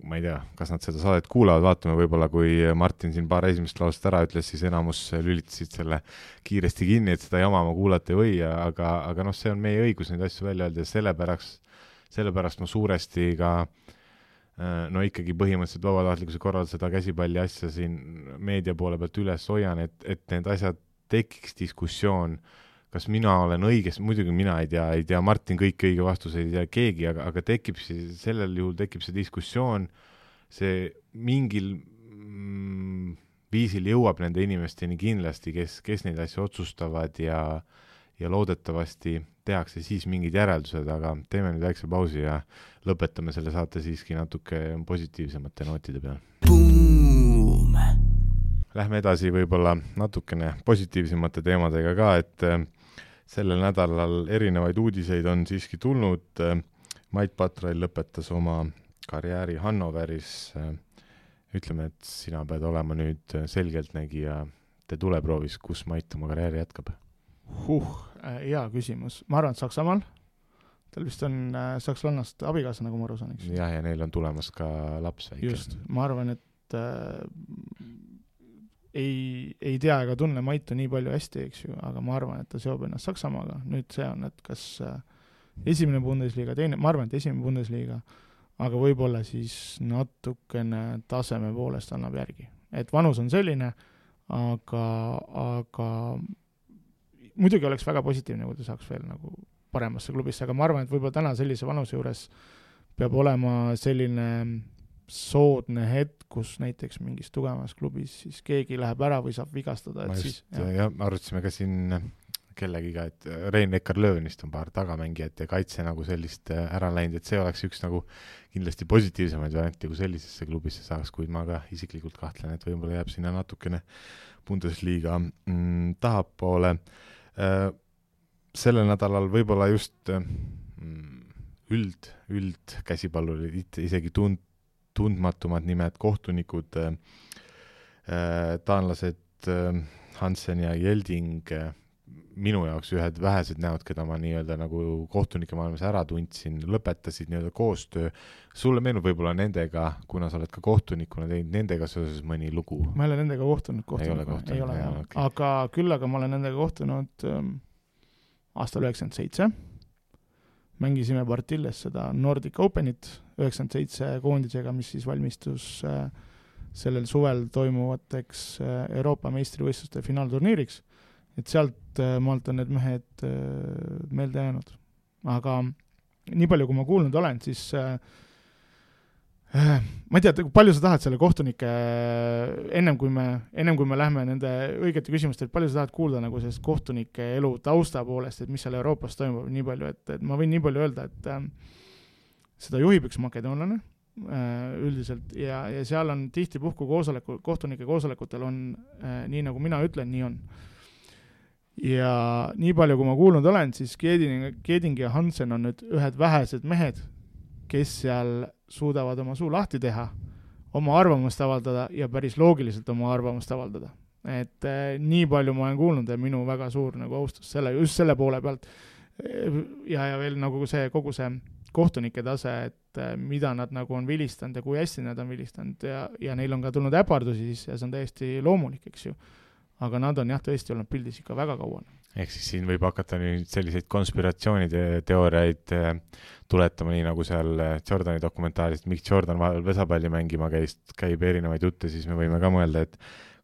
ma ei tea, kas nad seda saadet kuulavad, vaatame võib-olla, kui Martin siin paar esimest laust ära ütles, siis enamus lülitasid selle kiiresti kinni, et seda jama ma kuulata ei või, aga noh, see on meie õigus neid asju välja öelda ja sellepärast ma suuresti ka no ikkagi põhimõtteliselt vabatahtlikkuse korral seda käsipalli asja siin meedia poole pealt üles hoian, et need asjad tekiks diskussioon, kas mina olen õiges, muidugi mina ei tea Martin kõiki õige vastuseid, ei tea keegi, aga sellel juhul tekib see diskussioon, see mingil viisil jõuab nende inimesteni kindlasti, kes neid asju otsustavad ja loodetavasti tehakse siis mingid järeldused, aga teeme nüüd väikse pausi ja lõpetame selle saate siiski natuke positiivsemate nootide peal. Lähme edasi võib-olla natukene positiivsemate teemadega ka, et sellel nädalal erinevaid uudiseid on siiski tulnud. Mait Patrail lõpetas oma karjääri Hannoveris. Ütleme, et sina pead olema nüüd selgeltnägija tuleproovis, kus Mait oma karjääri jätkab. Hea küsimus. Ma arvan, et Saksamaal. Tal vist on sakslannast abikaasa, nagu ma aru saan, eks? Ja neil on tulemas ka laps väike. Just. Ma arvan, et ei tea ega tunne Maitu nii palju hästi, eks ju, aga ma arvan, et ta seob ennast Saksamaaga. Nüüd see on, et kas esimene Bundesliga, teine, ma arvan, et esimene Bundesliga, aga võib-olla siis natukene taseme poolest annab järgi. Et vanus on selline, aga muidugi oleks väga positiivne, kui ta saaks veel nagu paremasse klubisse, aga ma arvan, et võib-olla täna sellise vanuse juures peab olema selline soodne hetk, kus näiteks mingis tugevamas klubis siis keegi läheb ära või saab vigastada. Ja arutasime ka siin kellegiga, et Rein Eckar-Löönist on paar tagamängijat ja kaitse nagu sellist ära läinud, et see oleks üks nagu kindlasti positiivsemaid varianti, kui sellisesse klubisse saaks, kuid ma ka isiklikult kahtlen, et võib-olla jääb sinna natukene Bundesliga tahapoole. Sellel nädalal võib-olla just üld käsipallurid, isegi tundmatumad nimed, kohtunikud, taanlased Hansen ja Jelding, minu jaoks ühed vähesed näod, keda ma nii-öelda nagu kohtunike maailmas ära tundsin, lõpetasid nii-öelda koostöö. Sulle meenub võib-olla nendega, kuna sa oled ka kohtunikuna teinud, nendega seoses mõni lugu? Ma ei ole nendega kohtunud. Ei ole. Aga küll aga ma olen nendega kohtunud aastal 97. Mängisime Partilles seda Nordic Openit 97 koondisega, mis siis valmistus sellel suvel toimuvateks Euroopa meistrivõistluste finaalturniiriks. Et sealt maalt on need mehed meelde jäänud. Aga nii palju, kui ma kuulnud olen, siis ma ei tea, palju sa tahad selle kohtunike, ennem kui me lähme nende õigete küsimuste, et palju sa tahad kuulda nagu sellest kohtunike elu tausta poolest, et mis seal Euroopas toimub nii palju, et ma võin nii palju öelda, et seda juhib üks makedoonlane üldiselt ja seal on tihti kohtunike koosolekutel on nii nagu mina ütlen, nii on. Ja nii palju, kui ma kuulnud olen, siis Keding ja Hansen on nüüd ühed vähesed mehed, kes seal suudavad oma suu lahti teha, oma arvamust avaldada ja päris loogiliselt oma arvamust avaldada. Et nii palju ma olen kuulnud ja minu väga suur nagu austus just selle poole pealt ja veel nagu kogu see kohtunike tase, et mida nad nagu on vilistanud ja kui hästi nad on vilistanud ja neil on ka tulnud äpardusi siis ja see on täiesti loomulik, eks ju. Aga nad on jah tõesti olnud pildis ikka väga kauan. Ehk siis siin võib hakata nüüd selliseid konspiratsioonide teooriaid tuletama, nii nagu seal Jordani dokumentaarist, miks Jordan vahel vesapalli mängima käib erinevaid jutte, siis me võime ka mõelda, et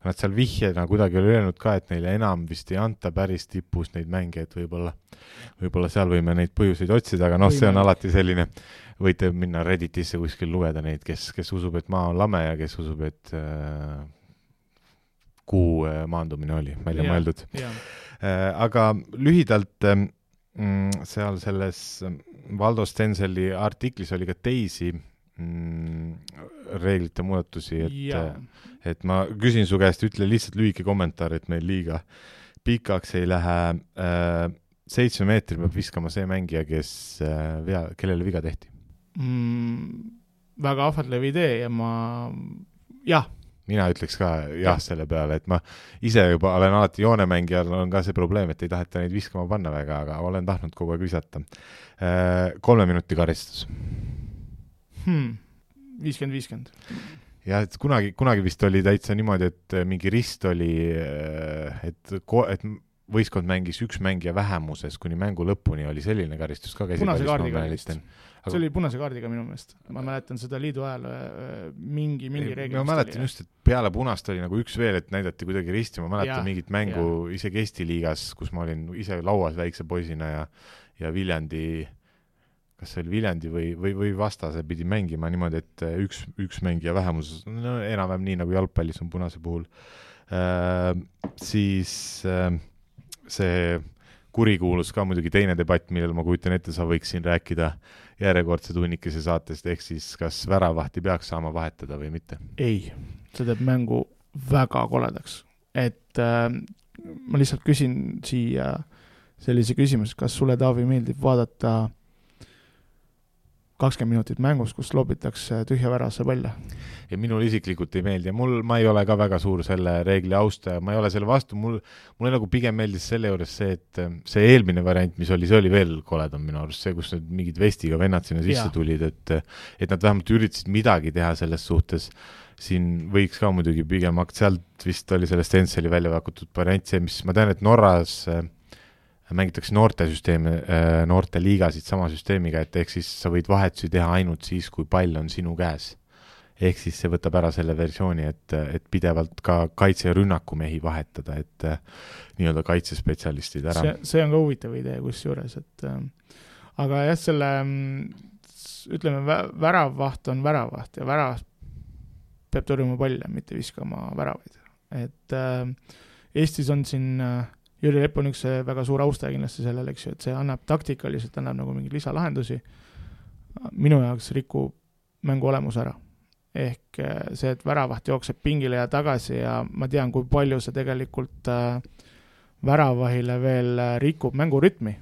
nad seal vihjena kuidagi oli öelnud ka, et neile enam vist ei anta päris tipus neid mänge, et võib-olla seal võime neid põhjuseid otsida, aga see on alati selline, võite minna Redditisse kuskil lugeda neid, kes usub, et maa on lame ja kes usub, et kuu maandumine oli välja mõeldud. Aga lühidalt seal selles Valdo Stenseli artiklis oli ka teisi reeglite muudatusi, et ma küsin su käest, ütle lihtsalt lühike kommentaar, et meil liiga pikaks ei lähe. 7 meetri peab viskama see mängija, kellele viga tehti. Väga ahvatlev idee ja mina ütleks ka jah selle peale, et ma ise juba olen alati joonemängijal, on ka see probleem, et ei taheta neid viskama panna väga, aga olen tahtnud kogu aeg visata. 3 minuti karistus. 50-50. Ja et kunagi vist oli täitsa niimoodi, et mingi rist oli, et võistkond mängis üks mängija vähemuses kuni mängu lõpuni, oli selline karistus ka punase kaardiga vist. See oli punase kaardiga minu meelest. Ma mäletan seda liidu ajal mingi reegli. Ma mäletan just, et peale punast oli nagu üks veel, et näidati kuidagi risti. Ma mäletan mingit mängu isegi Eesti liigas, kus ma olin ise lauas väikse poisina ja Viljandi, kas see oli Viljandi või vastase pidi mängima niimoodi, et üks mängija vähemus, no enam-vähem nii nagu jalgpallis on punase puhul. Siis see kurikuulus ka muidugi teine debatt, millel ma kujutan ette, sa võiks siin rääkida järjekordse tunnikese saatest, ehk siis kas väravahti peaks saama vahetada või mitte? Ei, see teeb mängu väga koledaks. Et ma lihtsalt küsin siia sellise küsimus, kas sulle, Taavi, meeldib vaadata 20 minutit mängus, kus loobitakse tühja värasse palle? Ja minul isiklikult ei meeldi ja ma ei ole ka väga suur selle reegli austaja, ma ei ole selle vastu, mul nagu pigem meeldis selle juures see, et see eelmine variant, mis oli, see oli veel koledam minu arust, see, kus need mingid vestiga vennad sinna sisse tulid, et nad vähemalt üritasid midagi teha selles suhtes. Siin võiks ka muidugi pigem sealt vist oli sellest Enseli välja vakutud variant see, mis ma tean, et Norras mängitakse noorte liigasid sama süsteemiga, et ehk siis sa võid vahetusi teha ainult siis, kui pall on sinu käes. Ehk siis see võtab ära selle versiooni, et pidevalt ka kaitse- ja rünnakumehi vahetada, et nii-öelda kaitsespetsialistid ära. See on ka huvitav idee kusjuures, et aga jah, selle ütleme, väravvaht on väravvaht ja värav peab tõrjuma palle, mitte viskama väravaid. Et Eestis on siin Jüri Lepp on üks väga suur austaja kindlasti sellele, eks ju, et see annab taktikaliselt, annab nagu mingeid lisalahendusi. Minu jaoks rikub mängu olemus ära. Ehk see, et väravaht jookseb pingile ja tagasi ja ma tean, kui palju see tegelikult väravahile veel rikub mängurütmi.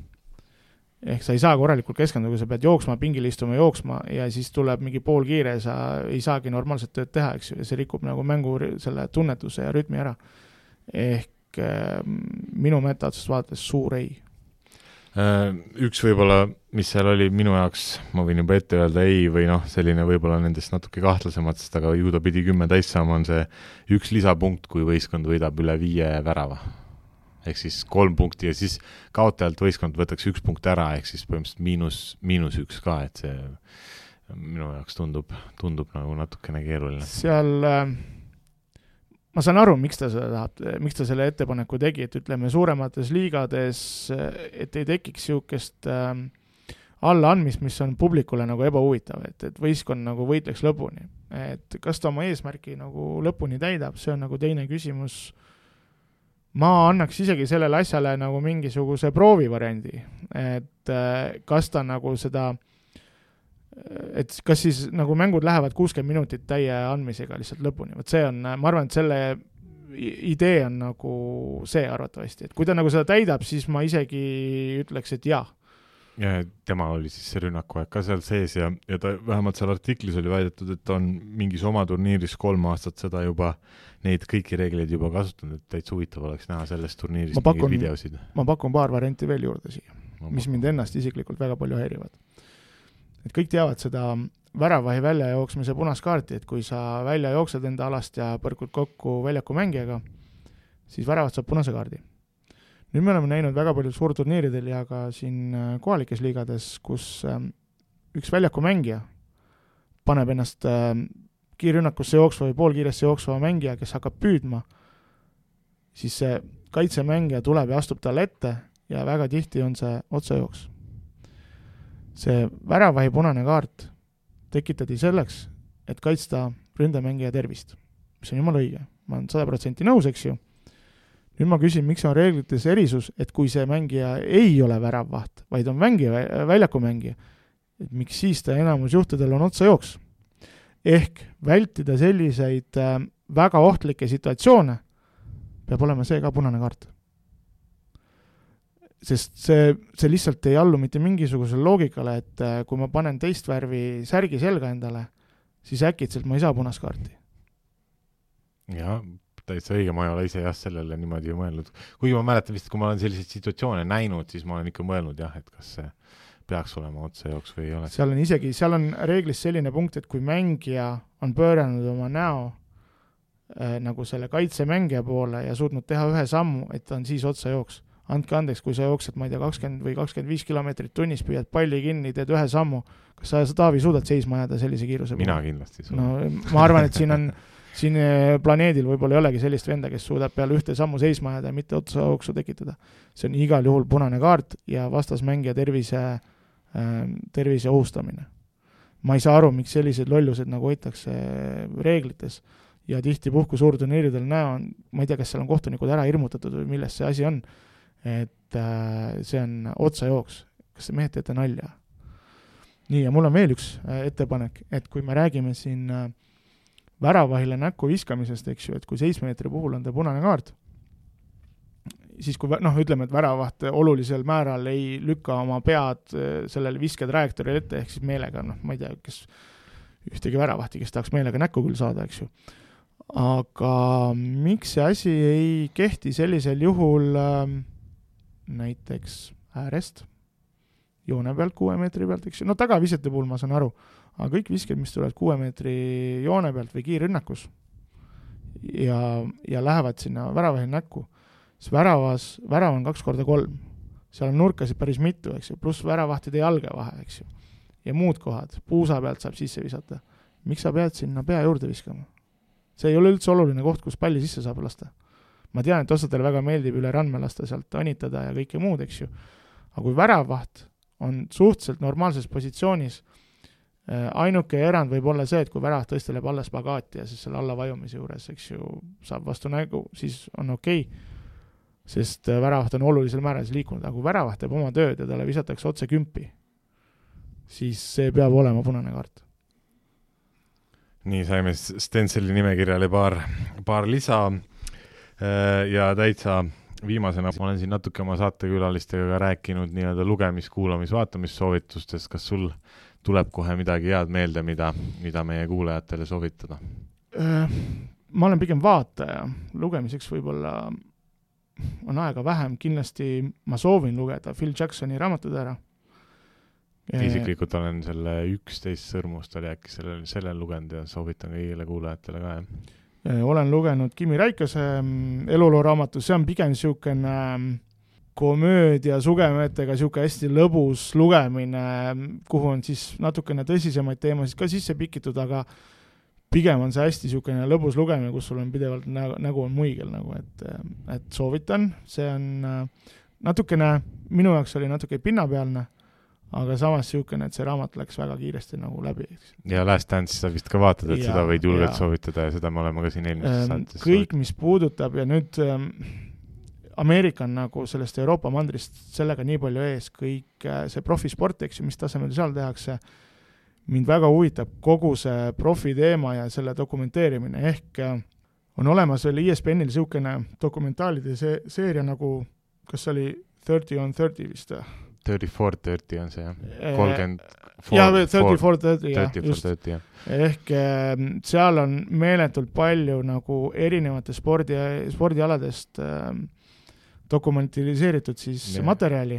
Ehk sa ei saa korralikult keskenduda, kui sa pead jooksma, pingile istuma, jooksma ja siis tuleb mingi pool kiire ja sa ei saagi normaalset tööd teha, eks ju, ja see rikub nagu mängu selle tunnetuse ja rütmi ära. Ehk minu metaotsust vaadates suur ei. Üks võib-olla, mis seal oli minu jaoks, ma võin juba ette öelda ei või selline võib-olla nendest natuke kahtlasematest, aga ju ta pidi 10 täis saama, on see üks lisapunkt, kui võistkond võidab üle 5 värava. Ehk siis 3 punkti ja siis kaotajalt võistkond võtaks 1 punkt ära, ehk siis põhimõtteliselt miinus 1 ka, et see minu jaoks tundub nagu natukene keeruline. Seal ma saan aru, miks ta selle ettepaneku tegi, et ütleme suuremates liigades, et ei tekiks siukest allaandmist, mis on publikule nagu ebahuvitav, et võistkond nagu võitleks lõpuni. Et kas ta oma eesmärki nagu lõpuni täidab, see on nagu teine küsimus. Ma annaks isegi sellele asjale nagu mingisuguse proovivariandi, et kas ta nagu seda et kas siis nagu mängud lähevad 60 minutit täie andmisega lihtsalt lõpuni. Võt see on, ma arvan, et selle idee on nagu see arvatavasti, et kui ta nagu seda täidab, siis ma isegi ütleks, et jah. Ja tema oli siis see rünnakuaeg ka seal sees ja ta vähemalt seal artiklis oli väidetud, et on mingis oma turniiris 3 aastat seda juba, neid kõiki reegleid juba kasutanud, et täitsa huvitav oleks näha sellest turniirist mingeid videosid. Ma pakun paar varianti veel juurde siia, mis mind ennast isiklikult väga palju häirivad. Et kõik teavad seda väravahi välja jooksmise punaskaarti, et kui sa välja jooksed enda alast ja põrkud kokku väljaku mängijaga, siis väravat saab punase kaardi. Nüüd me oleme näinud väga palju suurturniiridel ja ka siin kohalikes liigades, kus üks väljaku mängija paneb ennast kiirrünnakusse jooksva või poolkiiresse jooksva mängija, kes hakkab püüdma, siis see kaitsemängija tuleb ja astub talle ette ja väga tihti on see otsajooks. See väravahi punane kaart tekitati selleks, et kaitsta ründemängija tervist, mis on jumala õige. Ma olen 100% nõus, eks ju. Nüüd ma küsin, miks on reeglites erisus, et kui see mängija ei ole väravvaht, vaid on väljaku mängija, et miks siis ta enamus juhtudel on otsajooks. Ehk vältida selliseid väga ohtlikke situatsioone peab olema see ka punane kaart. Sest see lihtsalt ei allu mitte mingisugusele loogikale, et kui ma panen teist värvi särgi selga endale, siis äkitselt ma ei saa punaskaarti. Jah, täitsa õige, ma ei ole ise jah sellele niimoodi ju mõelnud. Kuigi ma mäletan vist, kui ma olen selliseid situatsioone näinud, siis ma olen ikka mõelnud jah, et kas see peaks olema otsejooks või ei ole. Seal on reeglis selline punkt, et kui mängija on pööranud oma näo nagu selle kaitsemängija poole ja suutnud teha ühe sammu, et ta on siis otsejooks. Andke andeks, kui sa jooksed, ma ei tea, 20 või 25 kilomeetrit tunnis, püüad palli kinni, teed ühe sammu. Kas sa, Taavi, suudad seisma jääda sellise kiiruse? Mina kindlasti suudan. No, ma arvan, et siin planeedil võib-olla ei olegi sellist venda, kes suudab peale ühte sammu seisma jääda ja mitte otsajooksu tekitada. See on igal juhul punane kaart ja vastasmängija tervise ohustamine. Ma ei saa aru, miks sellised lollused nagu hoitakse reeglites ja tihti puhku suurturniiridel ma ei tea, kas seal on kohtunikud ära hirmutatud või milles see asi on, et see on otsajooks. Kas see mehed teete nalja? Nii, ja mul on veel üks ettepanek, et kui me räägime siin väravahile näkku viskamisest, eks ju, et kui 7 meetri puhul on ta punane kaart, siis kui ütleme, et väravaht olulisel määral ei lükka oma pead sellele visketrajektooril ette, ehk siis meelega, ma ei tea, kes ühtegi väravahti, kes tahaks meelega näkku küll saada, eks ju. Aga miks see asi ei kehti sellisel juhul näiteks äärest, joone pealt 6 meetri pealt, eks ju, tagavisete puhul ma saan aru, aga kõik visked, mis tulevad 6 meetri joone pealt või kiirrünnakus ja lähevad sinna väravahil näkku, siis värav on 2x3, seal on nurkasid päris mitu, eks ju, pluss väravahtide jalge vahe, eks ju, ja muud kohad, puusa pealt saab sisse visata. Miks sa pead sinna pea juurde viskama? See ei ole üldse oluline koht, kus palli sisse saab lasta. Ma tean, et osadele väga meeldib üle randme lasta sealt anitada ja kõike muud, eks ju. Aga kui väravaht on suhteliselt normaalses positsioonis, ainuke erand võib olla see, et kui väravaht tõsteleb alla spagaati ja siis selle alla vajumise juures, eks ju, saab vastu nägu, siis on okei, sest väravaht on olulisel määral liikunud. Aga kui väravaht teeb oma tööd ja talle visatakse otse kümpi, siis see peab olema punane kaart. Nii, saime Stenseli nimekirjale paar lisa ja täitsa viimasena ma olen siin natuke oma saatekülalistega ka rääkinud nii-öelda lugemis-, kuulamis-, vaatamissoovitustest. Kas sul tuleb kohe midagi head meelde, mida meie kuulajatele soovitada? Ma olen pigem vaataja. Lugemiseks võib-olla on aega vähem. Kindlasti ma soovin lugeda Phil Jacksoni raamatud ära. Isiklikult olen selle 11 sõrmust oli äkki sellel lugenud ja soovitan kõigile kuulajatele ka. Olen lugenud Kimi Räikase eluloo raamatu, see on pigem niisugune komöödia sugemetega niisugune hästi lõbus lugemine, kuhu on siis natukene tõsisemaid teemasid ka sisse pikitud, aga pigem on see hästi niisugune lõbus lugemine, kus sul on pidevalt nägu on muigel, nagu, et soovitan. See on natukene, minu jaoks oli natuke pinnapealne, aga samas niisugune, et see raamat läks väga kiiresti nagu läbi. Ja Last Dance sa vist ka vaatad, et seda võid julgelt soovitada ja seda me oleme ka siin eelmises saates. Kõik, mis puudutab ja nüüd Ameerika on nagu sellest Euroopa mandrist sellega nii palju ees, kõik see profisport, eks ju, mis tasemel seal tehakse, mind väga huvitab kogu see profi teema ja selle dokumenteerimine, ehk on olemas veel ESPN-il niisugune dokumentaalide seeria nagu, kas oli 30 on 30 vist? 34-30 on see, jah. 34-30, jah. Ehk seal on meeletult palju nagu erinevate spordialadest dokumentaliseeritud siis materjali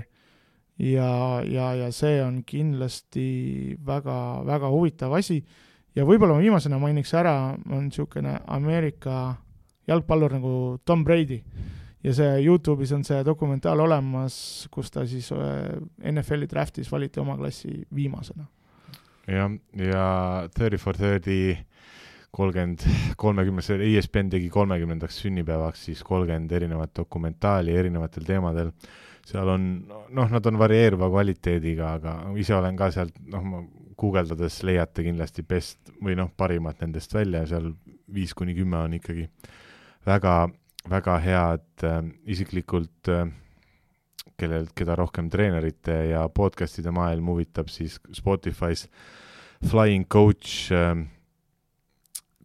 ja see on kindlasti väga, väga huvitav asi. Ja võib-olla ma viimasena mainiks ära, on niisugune Ameerika jalgpallur nagu Tom Brady. Ja see YouTube'is on see dokumentaal olemas, kus ta siis NFL-i draftis valiti oma klassi viimasena. Ja 34-30 30, ESPN tegi 30. sünnipäevaks siis 30 erinevat dokumentaali erinevatel teemadel. Seal on, nad on varieeruva kvaliteediga, aga ise olen ka sealt, guugeldades leiate kindlasti best või parimat nendest välja ja seal 5-10 on ikkagi väga head isiklikult, keda rohkem treenerite ja podcastide maailm huvitab, siis Spotify's Flying Coach,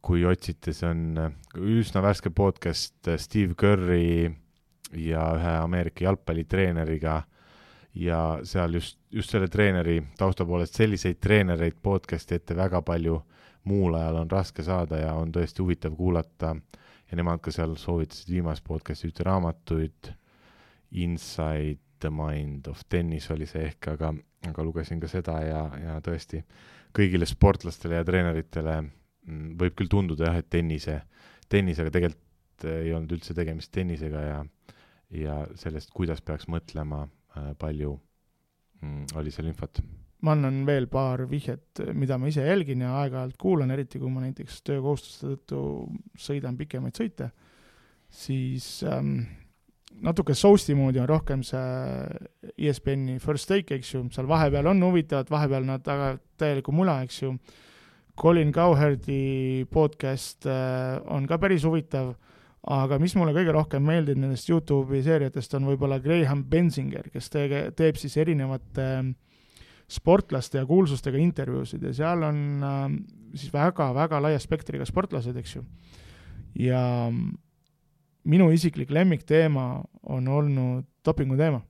kui otsite, see on üsna värske podcast Steve Curry ja ühe Ameerika jalgpallitreeneriga ja seal just selle treeneri tausta poolest selliseid treenereid podcasti ette väga palju muul ajal on raske saada ja on tõesti huvitav kuulata ja nemad ka seal soovitasid viimast podcasti ühte raamatuid, Inside the Mind of Tennis oli see ehk, aga lugesin ka seda ja tõesti kõigile sportlastele ja treeneritele võib küll tunduda jah, et tennisega tegelikult ei olnud üldse tegemist tennisega ja sellest, kuidas peaks mõtlema, palju oli seal infot. Ma annan veel paar vihjet, mida ma ise jälgin ja aeg-ajalt kuulan, eriti kui ma näiteks töökohustuste tõttu sõidan pikemaid sõite, siis natuke sousti moodi on rohkem see ESPN-i First Take, eks ju, seal vahepeal on huvitavad, vahepeal nad täieliku mula, eks ju. Colin Cowherdi podcast on ka päris huvitav, aga mis mulle kõige rohkem meeldib nendest YouTube'i seeriatest on võib-olla Graham Bensinger, kes teeb siis erinevate sportlaste ja kuulsustega intervjuusid ja seal on siis väga-väga laia spektriga sportlased, eks ju. Ja minu isiklik lemmikteema on olnud dopingu teema.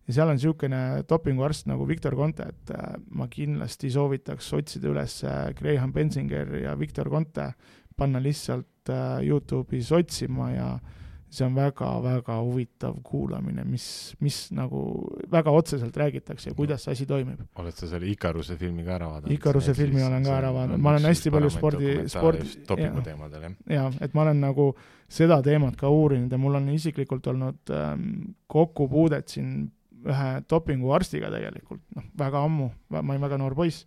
Ja seal on niisugune dopinguarst nagu Victor Conte, et ma kindlasti soovitaks otsida üles Graham Bensinger ja Victor Conte, panna lihtsalt YouTube'is otsima ja see on väga-väga huvitav kuulamine, mis nagu väga otseselt räägitakse ja kuidas see asi toimib. Oled sa selle Ikaruse filmi ka ära vaadanud? Ikaruse filmi olen ka ära vaadanud. Ma olen hästi palju dopingu teemadel, jah, et ma olen nagu seda teemat ka uurinud ja mul on isiklikult olnud kokkupuudet siin ühe dopinguarstiga tegelikult, väga ammu, ma olin väga noor poiss.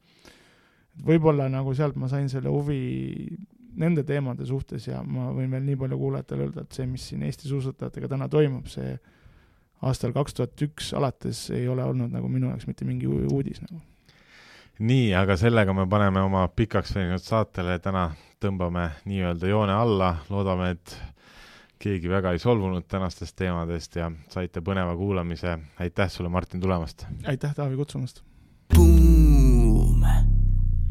Võib-olla nagu sealt ma sain selle huvi nende teemade suhtes ja ma võin veel nii palju kuulajatele öelda, et see, mis siin Eesti suusatajatega täna toimub, see aastal 2001 alates ei ole olnud nagu minu jaoks mitte mingi uudis nagu. Nii, aga sellega me paneme oma pikaks veninud saatele, täna tõmbame nii-öelda joone alla, loodame, et keegi väga ei solvunud tänastest teemadest ja saite põneva kuulamise. Aitäh sulle, Martin, tulemast! Aitäh, Taavi, kutsumast!